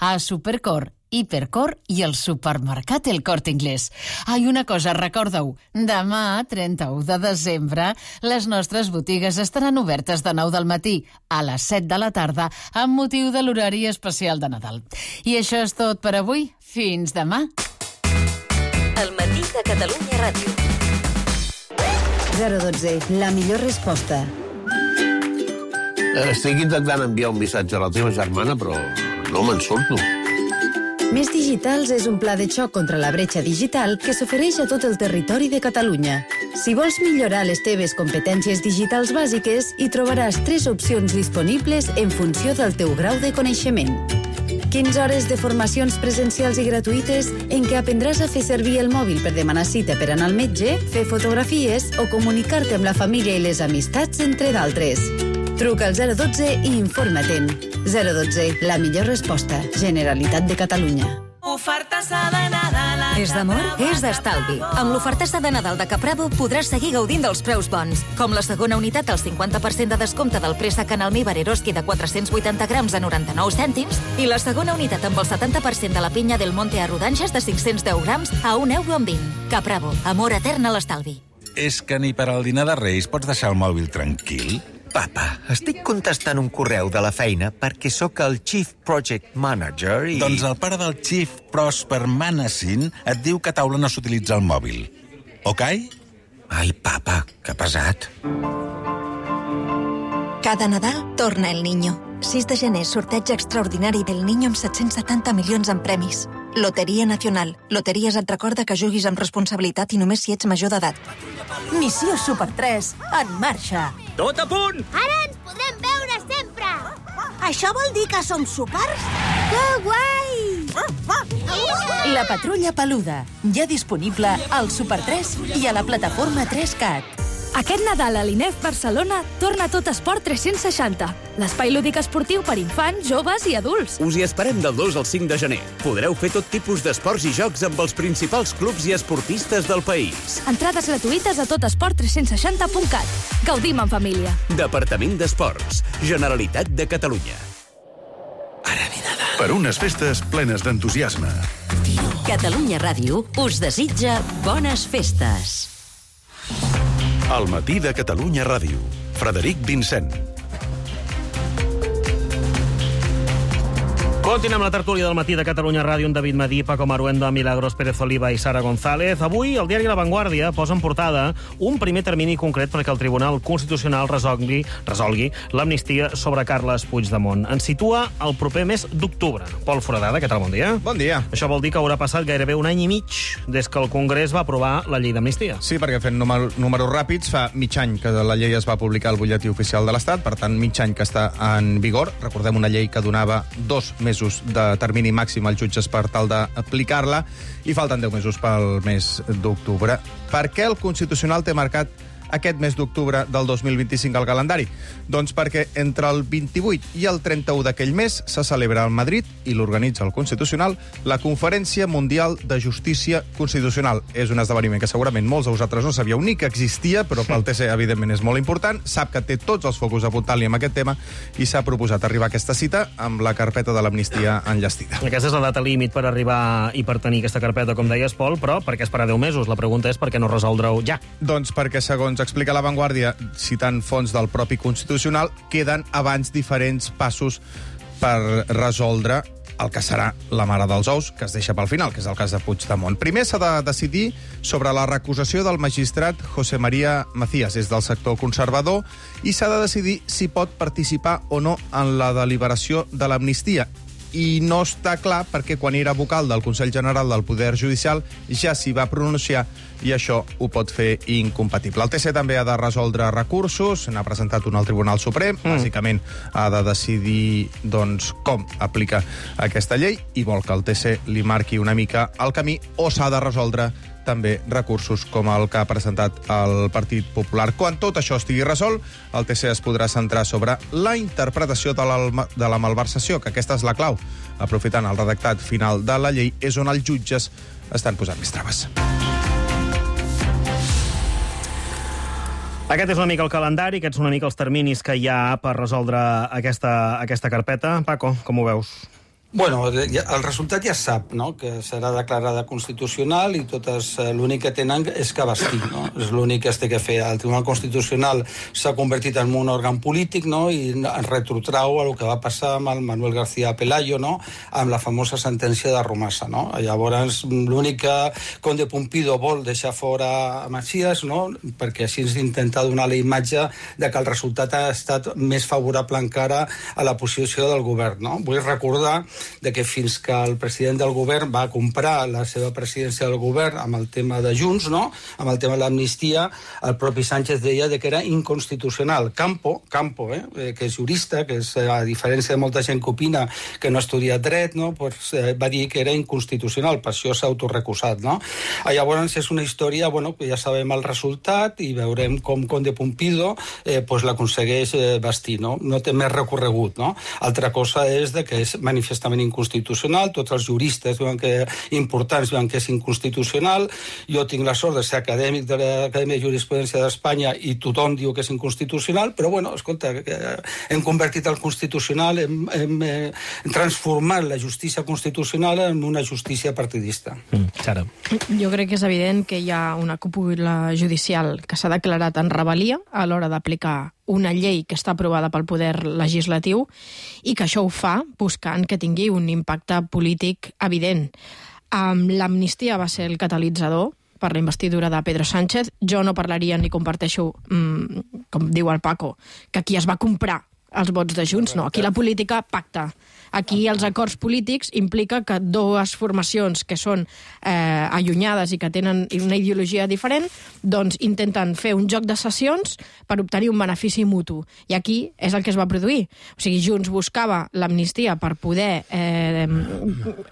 A Supercor, Hipercor i el supermercat El Corte Inglés. Una cosa, recorda-ho, demà, 31 de desembre, les nostres botigues estaran obertes de 9 del matí a les 7 de la tarda amb motiu de l'horari especial de Nadal. I això és tot per avui. Fins demà. El matí de Catalunya Ràdio. 012, la millor resposta. Estic intentant enviar un missatge a la teva germana, però no me'n surto. Més Digitals és un pla de xoc contra la bretxa digital que s'ofereix a tot el territori de Catalunya. Si vols millorar les teves competències digitals bàsiques, hi trobaràs 3 opcions disponibles en funció del teu grau de coneixement. 15 hores de formacions presencials i gratuïtes en què aprendràs a fer servir el mòbil per demanar cita per anar al metge, fer fotografies o comunicar-te amb la família i les amistats, entre d'altres. Truca al 012 i informa-te'n. 012, la millor resposta. Generalitat de Catalunya. Ofertassa de Nadal. És d'amor? És d'estalvi. Amb l'ofertassa de Nadal de Capravo podràs seguir gaudint dels preus bons, com la segona unitat al 50% de descompte del préssec en almíbar Eroski de 480 grams a 99 cèntims i la segona unitat amb el 70% de la pinya del Monte a rodanxes de 510 grams a €1,20. Capravo, amor etern a l'estalvi. És que ni per al dinar de Reis pots deixar el mòbil tranquil? Papa, estic contestant un correu de la feina perquè sóc el Chief Project Manager i... Doncs el pare del Chief Prosper Manassin et diu que a taula no s'utilitza el mòbil. Ok? Ai, papa, que pesat. Cada Nadal torna el Niño. 6 de gener, sorteig extraordinari del Niño amb 770 milions en premis. Loteria Nacional. Loteries et recorda que juguis amb responsabilitat i només si ets major d'edat. Missió Super 3, en marxa. Tot a punt! Ara ens podrem veure sempre! Això vol dir que som súpers? Que guai! La Patrulla Peluda, ja disponible al Super 3 i a la plataforma 3CAT. Aquest Nadal a l'INEF Barcelona torna Tot Esport 360, l'espai lúdic esportiu per infants, joves i adults. Us hi esperem del 2 al 5 de gener. Podreu fer tot tipus d'esports i jocs amb els principals clubs i esportistes del país. Entrades gratuïtes a totesport360.cat. Gaudim en família. Departament d'Esports, Generalitat de Catalunya. Per unes festes plenes d'entusiasme. Catalunya Ràdio us desitja bones festes. Al matí de Catalunya Ràdio. Frederic Vincent. Continuem la tertúlia del matí de Catalunya Ràdio amb David Madí, Paco Maruenda, Milagros Pérez Oliva i Sara González. Avui el diari La Vanguardia posa en portada un primer termini concret perquè el Tribunal Constitucional resolgui l'amnistia sobre Carles Puigdemont. Ens situa el proper mes d'octubre. Pol Foradada, què tal? Bon dia. Bon dia. Això vol dir que haurà passat gairebé un any i mig des que el Congrés va aprovar la llei d'amnistia. Sí, perquè fent números ràpids, fa mig any que la llei es va publicar al butlletí oficial de l'Estat, per tant, mig any que està en vigor. Recordem una llei que donava 2 mesos de termini màxim als jutges per tal d'aplicar-la i falten 10 mesos pel mes d'octubre. Per què el Constitucional té marcat aquest mes d'octubre del 2025 al calendari? Doncs perquè entre el 28 i el 31 d'aquell mes se celebra a Madrid, i l'organitza el Constitucional, la Conferència Mundial de Justícia Constitucional. És un esdeveniment que segurament molts de vosaltres no sabíeu ni que existia, però pel TC, evidentment, és molt important. Sap que té tots els focus apuntant-li amb aquest tema i s'ha proposat arribar a aquesta cita amb la carpeta de l'amnistia enllestida. Aquesta és la data límit per arribar i per tenir aquesta carpeta, com deies, Pol, però per què esperar 10 mesos? La pregunta és per què no resoldre-ho ja? Doncs perquè, segons explica La Vanguardia, citant fonts del propi Constitucional, queden abans diferents passos per resoldre el que serà la mare dels ous, que es deixa pel final, que és el cas de Puigdemont. Primer s'ha de decidir sobre la recusació del magistrat José María Macías, és del sector conservador, i s'ha de decidir si pot participar o no en la deliberació de l'amnistia. I no està clar perquè quan era vocal del Consell General del Poder Judicial ja s'hi va pronunciar i això ho pot fer incompatible. El TC també ha de resoldre recursos, n'ha presentat un al Tribunal Suprem, bàsicament ha de decidir doncs, com aplica aquesta llei i vol que el TC li marqui una mica el camí, o s'ha de resoldre també recursos com el que ha presentat el Partit Popular. Quan tot això estigui resolt, el TC es podrà centrar sobre la interpretació de la malversació, que aquesta és la clau. Aprofitant el redactat final de la llei, és on els jutges estan posant més traves. Aquest és una mica el calendari, aquests són una mica els terminis que hi ha per resoldre aquesta carpeta. Paco, com ho veus? Bueno, el resultat ja sap, no?, que serà declarada constitucional i totes l'únic que tenen és que vestir, no? És l'únic que es té que fer. El Tribunal Constitucional s'ha convertit en un òrgan polític, no?, i ens retrotrau a el que va passar amb el Manuel García Pelayo, no?, amb la famosa sentència de Romassa, no? Llavors, l'únic que Conde Pumpido vol deixar fora a Macías, no?, perquè així ens intenta donar la imatge de que el resultat ha estat més favorable encara a la posició del govern, no? Vull recordar de que fins que el president del govern va comprar la seva presidència del govern amb el tema de Junts, no? Amb el tema de l'amnistia, el propi Sánchez deia que era inconstitucional. Campo, que és jurista, que és, a diferència de molta gent que opina que no ha estudiat dret, no? Pues, va dir que era inconstitucional, per això s'ha autorrecusat, no? Llavors és una història, que ja sabem el resultat i veurem com Conde Pumpido l'aconsegueix vestir, no? No té més recorregut, no? Altra cosa és que és manifestament inconstitucional, tots els juristes importants diuen que és inconstitucional, jo tinc la sort de ser acadèmic de l'Acadèmia de Jurisprudència d'Espanya i tothom diu que és inconstitucional, però escolta, hem convertit el constitucional, hem transformat la justícia constitucional en una justícia partidista. Sara. Jo crec que és evident que hi ha una cúpula judicial que s'ha declarat en rebel·lia a l'hora d'aplicar una llei que està aprovada pel poder legislatiu i que això ho fa buscant que tingui un impacte polític evident. L'amnistia va ser el catalitzador per la investidura de Pedro Sánchez. Jo no parlaria ni comparteixo, com diu el Paco, que aquí es va comprar els vots de Junts, no. Aquí la política pacta. Aquí els acords polítics implica que dues formacions que són allunyades i que tenen una ideologia diferent, doncs intenten fer un joc de sessions per obtenir un benefici mutu. I aquí és el que es va produir. O sigui, Junts buscava l'amnistia per poder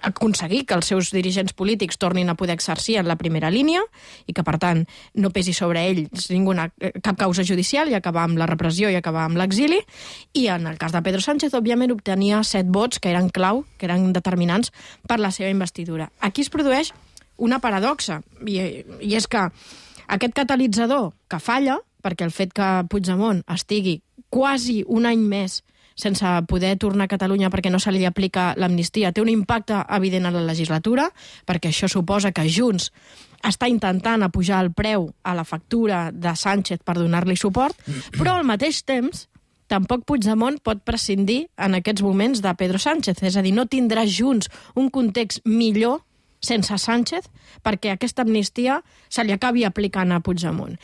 aconseguir que els seus dirigents polítics tornin a poder exercir en la primera línia i que, per tant, no pesi sobre ells cap causa judicial i acabar amb la repressió i acabar amb l'exili. I en el cas de Pedro Sánchez, òbviament, obtenia 7 vots que eren clau, que eren determinants per la seva investidura. Aquí es produeix una paradoxa, i és que aquest catalitzador que falla, perquè el fet que Puigdemont estigui quasi un any més sense poder tornar a Catalunya perquè no se li aplica l'amnistia, té un impacte evident a la legislatura, perquè això suposa que Junts està intentant apujar el preu a la factura de Sánchez per donar-li suport, però al mateix temps tampoc Puigdemont pot prescindir en aquests moments de Pedro Sánchez. És a dir, no tindrà Junts un context millor sense Sánchez perquè aquesta amnistia se li acabi aplicant a Puigdemont.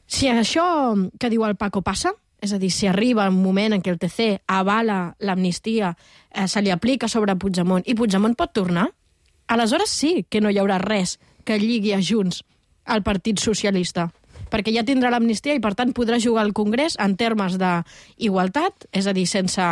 Si això que diu el Paco passa, és a dir, si arriba un moment en què el TC avala l'amnistia, se li aplica sobre Puigdemont i Puigdemont pot tornar, aleshores sí que no hi haurà res que lligui a Junts al Partit Socialista, perquè ja tindrà l'amnistia i, per tant, podrà jugar al Congrés en termes d'igualtat, és a dir, sense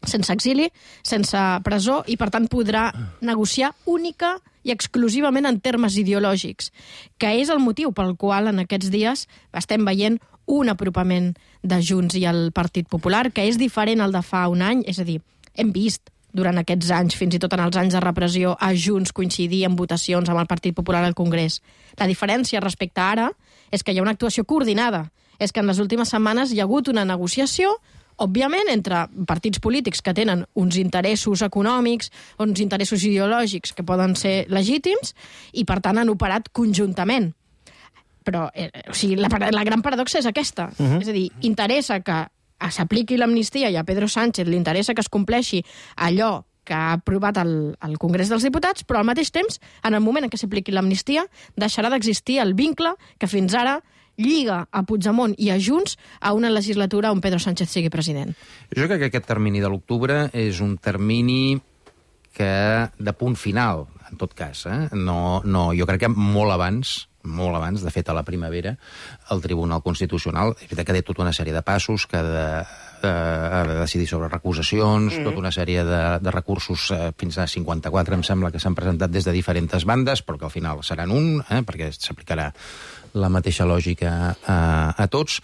exili, sense presó, i, per tant, podrà negociar única i exclusivament en termes ideològics, que és el motiu pel qual en aquests dies estem veient un apropament de Junts i el Partit Popular, que és diferent al de fa un any, és a dir, hem vist durant aquests anys, fins i tot en els anys de repressió, a Junts coincidir en votacions amb el Partit Popular al Congrés. La diferència respecte a ara és que hi ha una actuació coordinada. És que en les últimes setmanes hi ha hagut una negociació, òbviament, entre partits polítics que tenen uns interessos econòmics, uns interessos ideològics que poden ser legítims i, per tant, han operat conjuntament. Però la gran paradoxa és aquesta. És a dir, interessa que s'apliqui l'amnistia i a Pedro Sánchez li interessa que es compleixi allò que ha aprovat el Congrés dels Diputats, però al mateix temps, en el moment en què s'apliqui l'amnistia, deixarà d'existir el vincle que fins ara lliga a Puigdemont i a Junts a una legislatura on Pedro Sánchez sigui president. Jo crec que aquest termini de l'octubre és un termini de punt final, en tot cas. Jo crec que molt abans, de fet a la primavera, el Tribunal Constitucional ha de tota una sèrie de passos que ha de decidir sobre recusacions, tota una sèrie de recursos, fins a 54 em sembla que s'han presentat des de diferents bandes, però que al final seran perquè s'aplicarà la mateixa lògica a tots,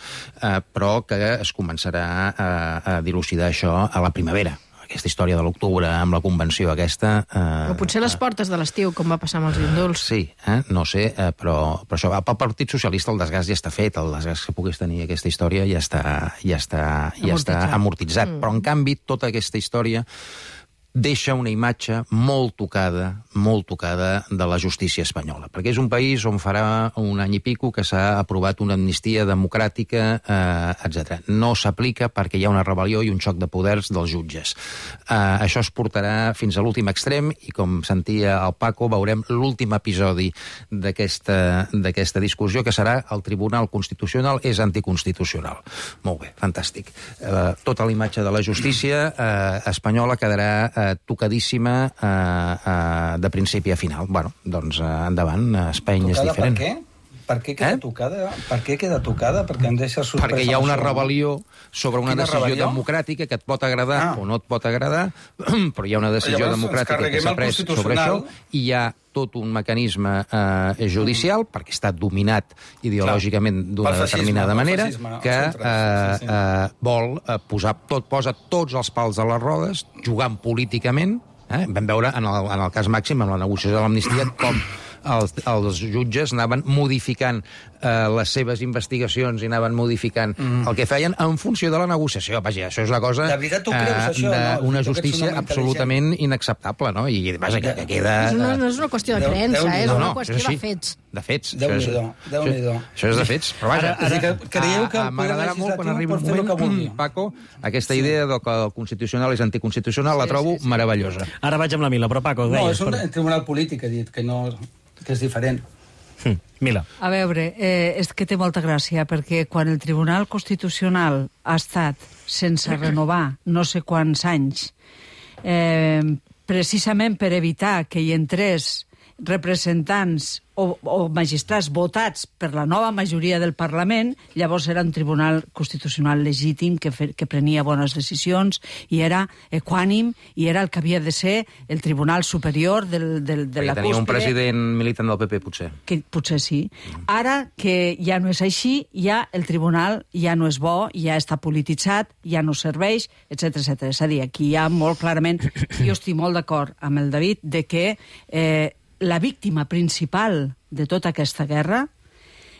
però que es començarà a dilucidar això a la primavera. Aquesta història de l'octubre amb la convenció aquesta... O potser les portes de l'estiu, com va passar amb els indults. Sí, no sé, però això, pel Partit Socialista el desgast ja està fet, el desgast que pogués tenir aquesta història ja està amortitzat. Però, en canvi, tota aquesta història deixa una imatge molt tocada de la justícia espanyola. Perquè és un país on farà un any i pico que s'ha aprovat una amnistia democràtica, etc. No s'aplica perquè hi ha una rebel·lió i un xoc de poders dels jutges. Això es portarà fins a l'últim extrem i, com sentia el Paco, veurem l'últim episodi d'aquesta discussió, que serà el Tribunal Constitucional és anticonstitucional. Molt bé, fantàstic. Tota la imatge de la justícia espanyola quedarà tocadíssima de principi a final. Bueno, doncs endavant, Espanya és diferent. Per què? Per què queda tocada? Per què queda tocada? Perquè em deixa sorprès. Perquè hi ha una rebel·lió sobre una decisió democràtica que et pot agradar o no et pot agradar, però hi ha una decisió democràtica que s'ha pres sobre això i hi ha tot un mecanisme judicial, perquè està dominat ideològicament d'una determinada manera, que vol posa tots els pals a les rodes, jugant políticament. Vam veure en el cas màxim, amb la negociació de l'amnistia, com els jutges anaven modificant les seves investigacions i anaven modificant el que feien en funció de la negociació. Vaja, això és una cosa d'una justícia absolutament inacceptable, no? I vaja, que queda... No és una qüestió de creença, és una qüestió de fets. De fets. Déu-n'hi-do. Això és de fets. Però vaja, m'agradarà molt quan arribi un moment, Paco, aquesta idea que el constitucional és anticonstitucional, la trobo meravellosa. Ara vaig amb la Mila, però Paco... No, és un tribunal polític, ha dit, que és diferent. Mila. A veure, és que té molta gràcia, perquè quan el Tribunal Constitucional ha estat sense renovar no sé quants anys, precisament per evitar que hi entrés representants o magistrats votats per la nova majoria del Parlament, llavors era un tribunal constitucional legítim que prenia bones decisions i era equànim i era el que havia de ser el tribunal superior de la cúspide. Tenia un president militant del PP, potser. Que potser sí. Ara que ja no és així, ja el tribunal ja no és bo, ja està polititzat, ja no serveix, etc. És a dir, aquí hi ha molt clarament... Jo estic molt d'acord amb el David de que la víctima principal de tota aquesta guerra,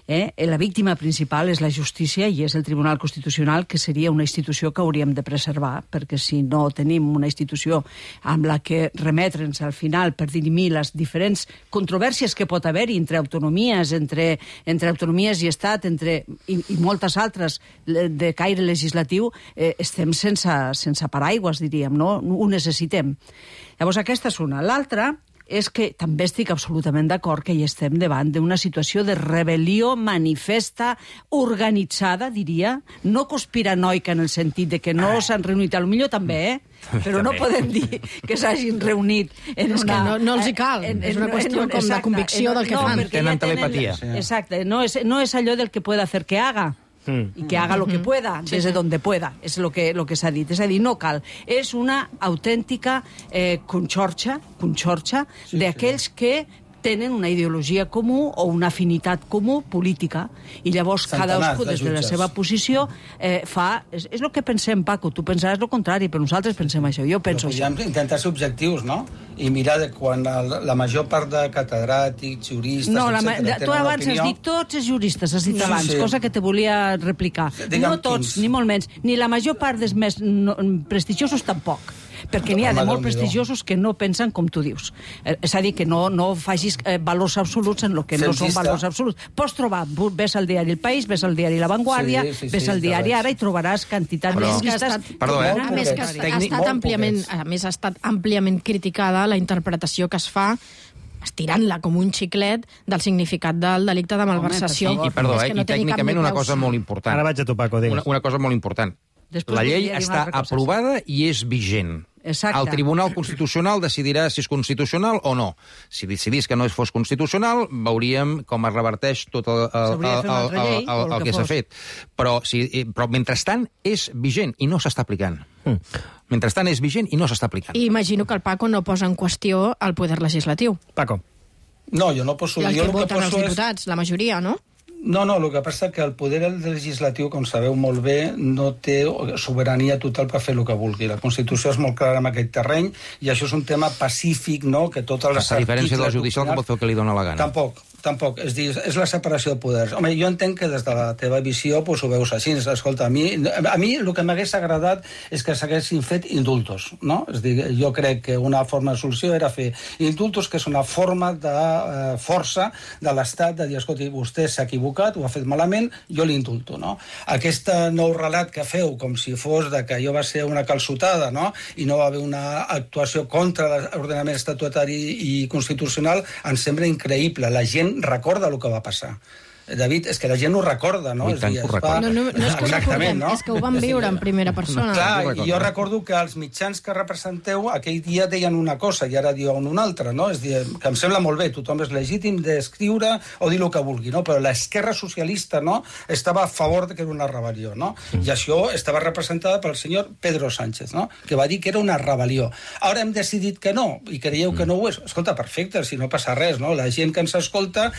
la víctima principal és la justícia i és el Tribunal Constitucional, que seria una institució que hauríem de preservar, perquè si no tenim una institució amb la que remetre'ns al final per dirimir les diferents controvèrsies que pot haver-hi entre autonomies, entre autonomies i Estat, i moltes altres de caire legislatiu, estem sense paraigües, diríem, no? Ho necessitem. Llavors, aquesta és una. L'altra és que també estic absolutament d'acord que hi estem davant d'una situació de rebel·lió manifesta, organitzada, diria, no conspiranoica en el sentit de que no s'han reunit, potser també, però no podem dir que s'hagin reunit en una... És que no els hi cal, és una qüestió com de convicció del que fan. Tenen telepatia. Exacte, no és allò del que pueda hacer que haga, y que haga lo que pueda, desde donde pueda, és lo que s'ha dit. És a dir, no cal. És una autèntica conxorxa d'aquells que tenen una ideologia comú o una afinitat comú política, i llavors cadascú des de la seva posició fa... És el que pensem, Paco, tu pensaràs el contrari, però nosaltres pensem això, jo penso això. Podríem intentar ser objectius, no? I mirar de quan la major part de catedràtics, juristes, etcètera, tu abans has dit tots els juristes, has dit abans, cosa que te volia replicar. No tots, ni molt menys, ni la major part dels més prestigiosos tampoc, perquè n'hi ha de molt prestigiosos que no pensen com tu dius. És a dir, que no facis valors absoluts en el que no són valors absoluts. Pots trobar, ves al diari El País, ves al diari La Vanguardia, ves al diari Ara i trobaràs quantitat de llistes... A més, ha estat àmpliament criticada la interpretació que es fa estirant-la com un xiclet del significat del delicte de malversació. I perdó, i tècnicament una cosa molt important. Ara vaig a tu, Paco, digues. Una cosa molt important. La llei està aprovada i és vigent. Exacte. El Tribunal Constitucional decidirà si és constitucional o no. Si decidís que no fos constitucional, veuríem com es reverteix tot el que s'ha fet. Però mentrestant és vigent i no s'està aplicant. Mentrestant és vigent i no s'està aplicant. I imagino que el Paco no posa en qüestió el poder legislatiu. Paco. No, jo no poso... I el que voten els diputats, la majoria, no? No, el que passa és que el poder legislatiu, com sabeu molt bé, no té sobirania total per fer el que vulgui. La Constitució és molt clara en aquest terreny i això és un tema pacífic, no?, que tots els articles... A diferència del judicial, que pot fer el que li dona la gana. Tampoc. És la separació de poders. Home, jo entenc que des de la teva visió ho veus així. Escolta, a mi el que m'hagués agradat és que s'haguessin fet indultos, no? És dir, jo crec que una forma de solució era fer indultos, que és una forma de força de l'Estat de dir, escolta, vostè s'ha equivocat, ho ha fet malament, jo l'indulto, no? Aquest nou relat que feu, com si fos de que allò va ser una calçotada, no?, i no va haver una actuació contra l'ordenament estatutari i constitucional, em sembla increïble. La gent recorda el que va passar. David, és que la gent ho recorda, no? I tant que ho recorda. No és que ho recordem, és que ho vam viure en primera persona. Clar, i jo recordo que els mitjans que representeu aquell dia deien una cosa i ara diuen una altra, no? És dir, que em sembla molt bé, tothom és legítim d'escriure o dir el que vulgui, no? Però l'esquerra socialista, no?, estava a favor de que era una rebel·lió, no? I això estava representada pel senyor Pedro Sánchez, no?, que va dir que era una rebel·lió. Ara hem decidit que no, i creieu que no ho és. Escolta, perfecte, si no passa res, no? La gent que ens escolta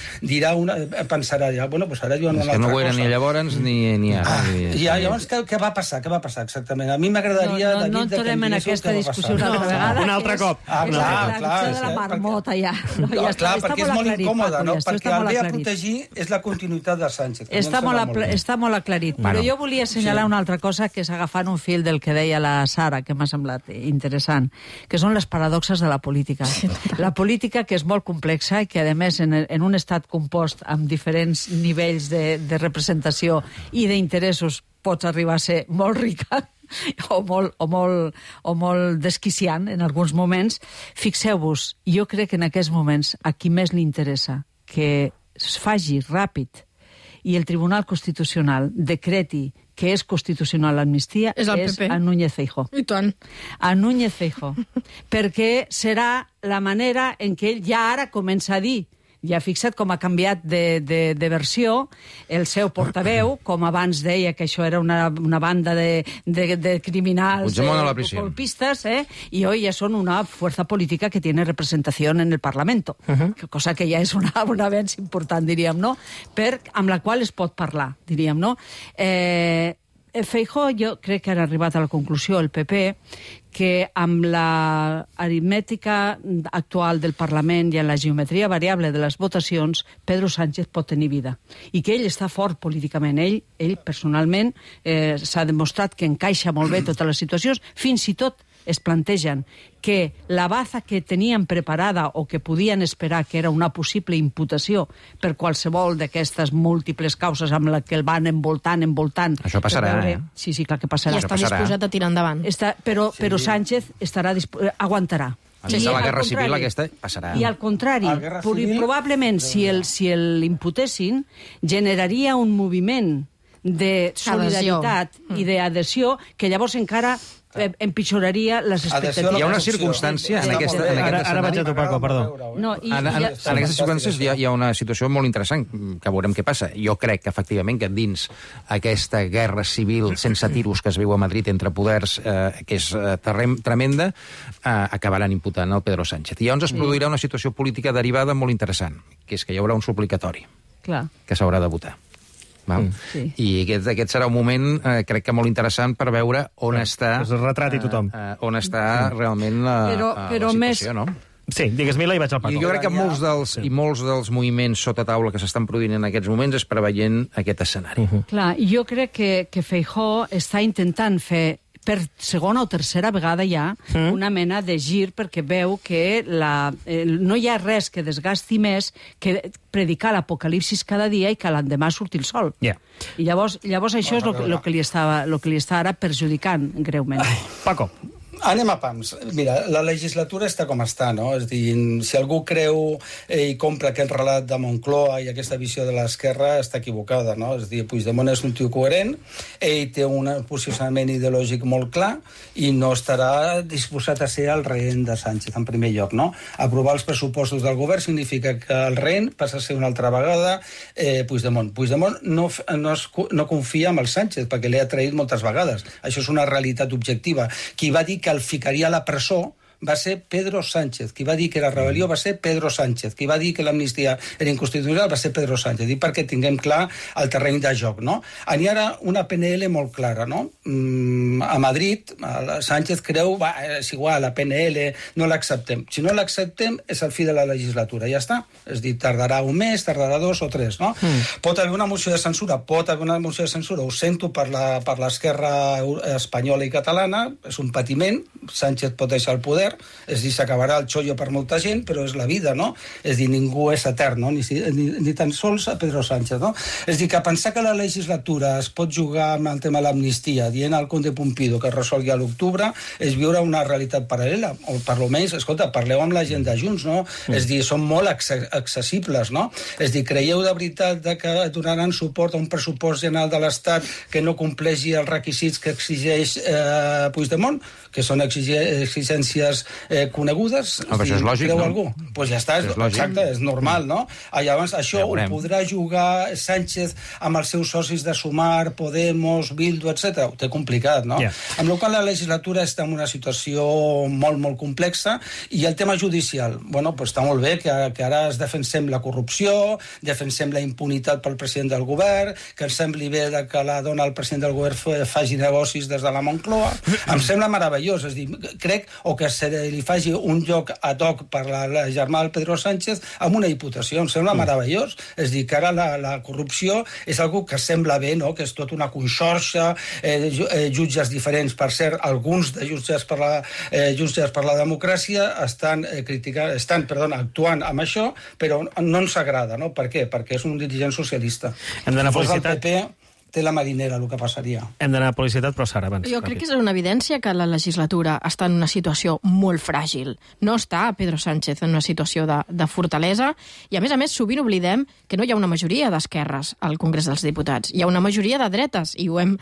pensarà, bueno, doncs ara diuen una altra cosa. És que no ho era ni llavors ni ara. Llavors, què va passar? Què va passar exactament? A mi m'agradaria, David, no entrem en aquesta discussió una altra vegada. Un altre cop. Clar, de la marmota, ja. Clar, perquè és molt incòmode, no? Perquè el ve a protegir és la continuïtat de Sánchez. Està molt aclarit. Però jo volia assenyalar una altra cosa, que és agafant un fil del que deia la Sara, que m'ha semblat interessant, que són les paradoxes de la política. La política, que és molt complexa i que, a més, en un estat compost amb diferents nivells de representació i d'interessos, pots arribar a ser molt rica o molt desquiciant en alguns moments. Fixeu-vos, jo crec que en aquests moments a qui més li interessa que es faci ràpid i el Tribunal Constitucional decreti que és constitucional l'amnistia és a Núñez Feijóo. I tant. A Núñez Feijóo. Perquè serà la manera en què ell ja ara comença a dir, ja fixa't com ha canviat de versió el seu portaveu, com abans deia que això era una banda de criminals golpistas, y hoy ya son una fuerza política que tiene representación en el Parlamento, cosa que ja és un avenç important, diríem, no? Amb la qual es pot parlar, diríem, no? Feijóo, jo crec que han arribat a la conclusió, el PP, que amb l'aritmètica actual del Parlament i en la geometria variable de les votacions, Pedro Sánchez pot tenir vida. I que ell està fort políticament. Ell personalment, s'ha demostrat que encaixa molt bé totes les situacions, fins i tot es plantegen que la baza que tenien preparada o que podien esperar que era una possible imputació per qualsevol d'aquestes múltiples causes amb la que el van envoltant... Això passarà, Sí, clar que passarà. I està disposat a tirar endavant. Però Sánchez aguantarà. Sense la guerra civil aquesta passarà. I al contrari, probablement si l'imputessin, generaria un moviment de solidaritat i d'adhesió que llavors encara empitjoraria les expectatives. Hi ha una circumstància en aquesta... Ara vaig a tu, Paco, perdó. En aquestes circumstàncies hi ha una situació molt interessant, que veurem què passa. Jo crec que, efectivament, que dins aquesta guerra civil sense tiros que es viu a Madrid entre poders, que és tremenda, acabaran imputant el Pedro Sánchez. I llavors es produirà una situació política derivada molt interessant, que és que hi haurà un suplicatori que s'haurà de votar. Sí. I aquest serà un moment, crec que molt interessant, per veure on està... Es retrati tothom. On està realment la situació, no? Sí, digues Mila i vaig al Paco. I jo crec que molts dels moviments sota taula que s'estan produint en aquests moments és preveient aquest escenari. Clar, jo crec que Feijóo està intentant fer per segona o tercera vegada ja una mena de gir, perquè veu que no hi ha res que desgasti més que predicar l'apocalipsis cada dia i que l'endemà surti el sol. I llavors això és el que li està ara perjudicant greument. Paco. Anem a pams. Mira, la legislatura està com està, no? És dir, si algú creu i compra aquest relat de Moncloa i aquesta visió de l'esquerra, està equivocada, no? És dir, Puigdemont és un tio coherent, ell té un posicionament ideològic molt clar i no estarà disposat a ser el rehén de Sánchez, en primer lloc, no? Aprovar els pressupostos del govern significa que el rehén passa a ser una altra vegada Puigdemont. Puigdemont no confia en el Sánchez, perquè l'ha traït moltes vegades. Això és una realitat objectiva. Qui va dir que el ficaria a la presó va ser Pedro Sánchez. Qui va dir que era rebel·lió va ser Pedro Sánchez. Qui va dir que l'amnistia era inconstitucional va ser Pedro Sánchez. I perquè tinguem clar el terreny de joc, no? N'hi ha una PNL molt clara, no? A Madrid, Sánchez creu, és igual, la PNL, no l'acceptem. Si no l'acceptem, és el fi de la legislatura, ja està. És dir, tardarà un mes, tardarà 2 o 3, no? Pot haver una moció de censura, ho sento per l'esquerra espanyola i catalana, és un patiment, Sánchez pot deixar el poder, poder, és a dir, s'acabarà el xollo per molta gent, però és la vida, no? És a dir, ningú és etern, no? Ni tan sols a Pedro Sánchez, no? És a dir, que pensar que la legislatura es pot jugar amb el tema de l'amnistia, dient al Conde Pumpido que es resolgui a l'octubre, és viure una realitat paral·lela, o per almenys, escolta, parleu amb la gent de Junts, no? És a dir, són molt accessibles, no? És a dir, creieu de veritat que donaran suport a un pressupost general de l'Estat que no compleixi els requisits que exigeix Puigdemont, que són exigències conegudes? Però això és lògic, creu no? Algú? Doncs ja està, exacte, és normal, no? Llavors, això ho podrà jugar Sánchez amb els seus socis de Sumar, Podemos, Bildu, etc. Ho té complicat, no? Amb la qual la legislatura està en una situació molt, molt complexa, i el tema judicial, bueno, doncs està molt bé que ara es defensem la corrupció, defensem la impunitat pel president del govern, que ens sembli bé que la dona del president del govern faci negocis des de la Moncloa. Em sembla meravellós, és a dir, crec, o que se li faci un lloc ad hoc per la germà del Pedro Sánchez amb una diputació, em sembla meravellós. És a dir, que ara la corrupció és algo que sembla bé, no? Que és tot una conxorxa, jutges diferents. Per cert, alguns de jutges per la democràcia estan actuant amb això, però no ens agrada, no? Per què? Perquè és un dirigent socialista. Hem d'anar a publicitat. El PP té la marinera, el que passaria. Hem d'anar a publicitat, però Sara, abans. Jo crec que és una evidència que la legislatura està en una situació molt fràgil. No està Pedro Sánchez en una situació de fortalesa, i a més, sovint oblidem que no hi ha una majoria d'esquerres al Congrés dels Diputats. Hi ha una majoria de dretes, i ho hem,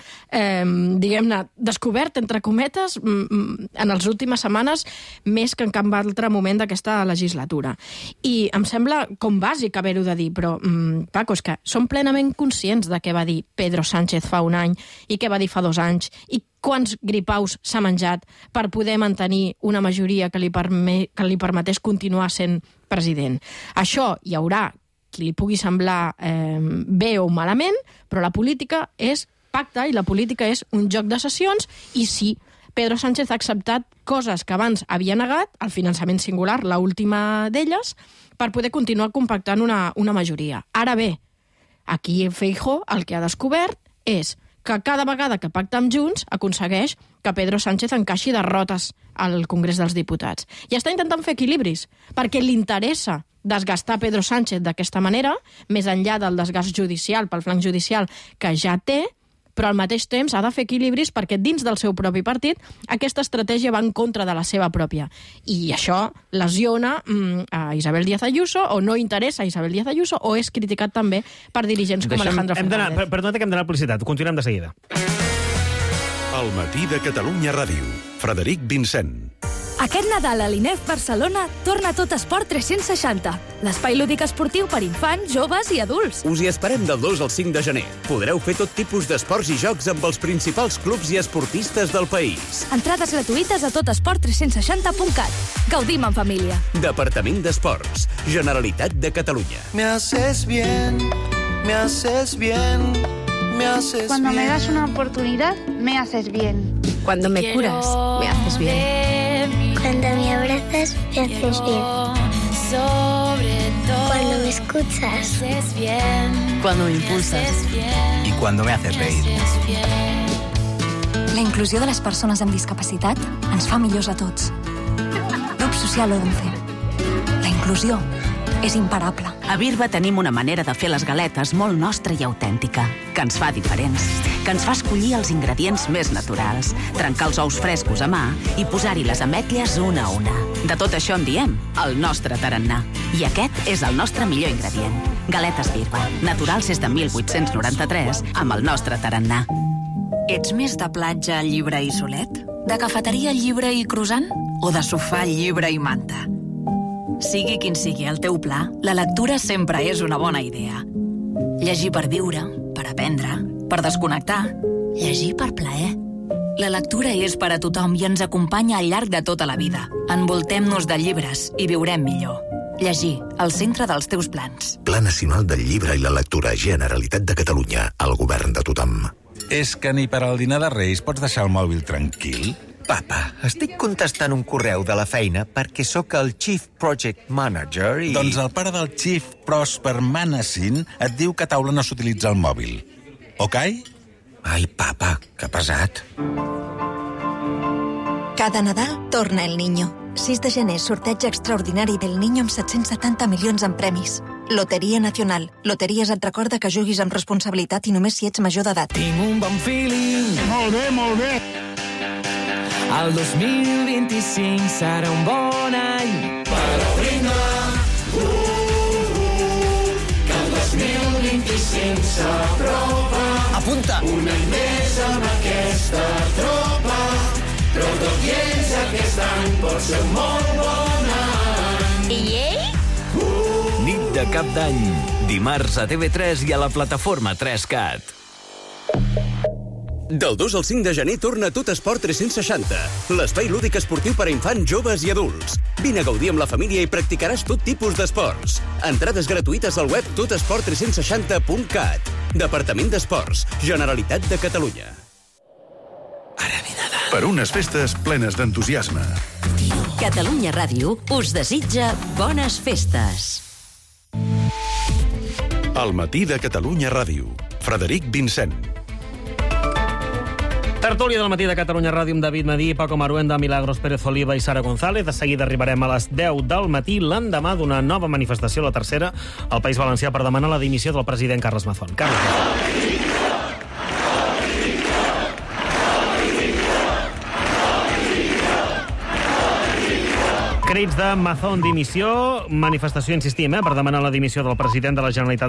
diguem-ne, descobert, entre cometes, en les últimes setmanes, més que en cap altre moment d'aquesta legislatura. I em sembla com bàsic haver-ho de dir, però, Paco, és que som plenament conscients de què va dir Pedro Sánchez fa un any i què va dir fa 2 anys i quants gripaus s'ha menjat per poder mantenir una majoria que li permetés continuar sent president. Això hi haurà qui li pugui semblar bé o malament, però la política és pacte i la política és un joc de sessions, i sí, Pedro Sánchez ha acceptat coses que abans havia negat, el finançament singular, l'última d'elles, per poder continuar compactant una majoria. Ara bé, aquí Feijóo el que ha descobert és que cada vegada que pacta amb Junts aconsegueix que Pedro Sánchez encaixi derrotes al Congrés dels Diputats. I està intentant fer equilibris, perquè li interessa desgastar Pedro Sánchez d'aquesta manera, més enllà del desgast judicial, pel flanc judicial, que ja té, però al mateix temps ha de fer equilibris perquè dins del seu propi partit aquesta estratègia va en contra de la seva pròpia. I això lesiona a Isabel Díaz Ayuso, o no interessa a Isabel Díaz Ayuso, o és criticat també per dirigents com Alejandro Fernández. Perdona que hem d'anar a publicitat. Continuem de seguida. El matí de Catalunya Ràdio. Frederic Vincent. Aquest Nadal a l'INEF Barcelona torna tot Esport 360, l'espai lúdic esportiu per infants, joves i adults. Us hi esperem del 2 al 5 de gener. Podreu fer tot tipus d'esports i jocs amb els principals clubs i esportistes del país. Entrades gratuïtes a totesport360.cat. Gaudim en família. Departament d'Esports. Generalitat de Catalunya. Me haces bien, me haces bien, me haces bien. Cuando me das una oportunidad, me haces bien. Cuando me curas, me haces bien. Cuando me abrazas, me haces bien. Cuando me escuchas, Cuando me impulsas. Y cuando me haces reír. La inclusió de les persones amb discapacitat ens fa millors a tots. Grup Social 11. La inclusió és imparable. A Birba tenim una manera de fer les galetes molt nostra i autèntica, que ens fa diferents, que ens fa escollir els ingredients més naturals, trencar els ous frescos a mà i posar-hi les ametlles una a una. De tot això en diem el nostre tarannà. I aquest és el nostre millor ingredient. Galetes Birba, naturals des de 1893, amb el nostre tarannà. Ets més de platja, llibre i solet? De cafeteria, llibre i croissant? O de sofà, llibre i manta? Sigui quin sigui el teu pla, la lectura sempre és una bona idea. Llegir per viure, per aprendre, per desconnectar. Llegir per plaer. La lectura és per a tothom i ens acompanya al llarg de tota la vida. Envoltem-nos de llibres i viurem millor. Llegir, al centre dels teus plans. Pla Nacional del Llibre i la Lectura, Generalitat de Catalunya, el govern de tothom. És que ni per al dinar de Reis pots deixar el mòbil tranquil? Papa, estic contestant un correu de la feina perquè sóc el Chief Project Manager i... Doncs el pare del Chief Prosper Manassin et diu que a taula no s'utilitza el mòbil. Ok? Ai, papa, que pesat. Cada Nadal torna el Niño. 6 de gener, sorteig extraordinari del Niño amb 770 milions en premis. Loteria Nacional. Loteries et recorda que juguis amb responsabilitat i només si ets major d'edat. Tinc un bon feeling. Molt bé, molt bé. El 2025 serà un bon any. Però vinga, que el 2025 s'apropa. Apunta. Un any més amb aquesta tropa. Però tot i ells aquest any pot ser un molt bon any. I ell? Nit de Cap d'Any. Dimarts a TV3 i a la plataforma 3Cat. Del 2 al 5 de gener torna Tot Esport 360, l'espai lúdic esportiu per a infants, joves i adults. Vine a gaudir amb la família i practicaràs tot tipus d'esports. Entrades gratuïtes al web totesport360.cat. Departament d'Esports, Generalitat de Catalunya. Per unes festes plenes d'entusiasme. Catalunya Ràdio us desitja bones festes. Al matí de Catalunya Ràdio. Frederic Vincent. Tertúlia del matí de Catalunya Ràdio amb David Madí, Paco Maruenda, Milagros Pérez Oliva i Sara González. De seguida arribarem a les 10 del matí, l'endemà d'una nova manifestació, la tercera, al País Valencià per demanar la dimissió del president Carles Mazón. Crits de Mazón dimissió, manifestació, insistim, per demanar la dimissió del president de la Generalitat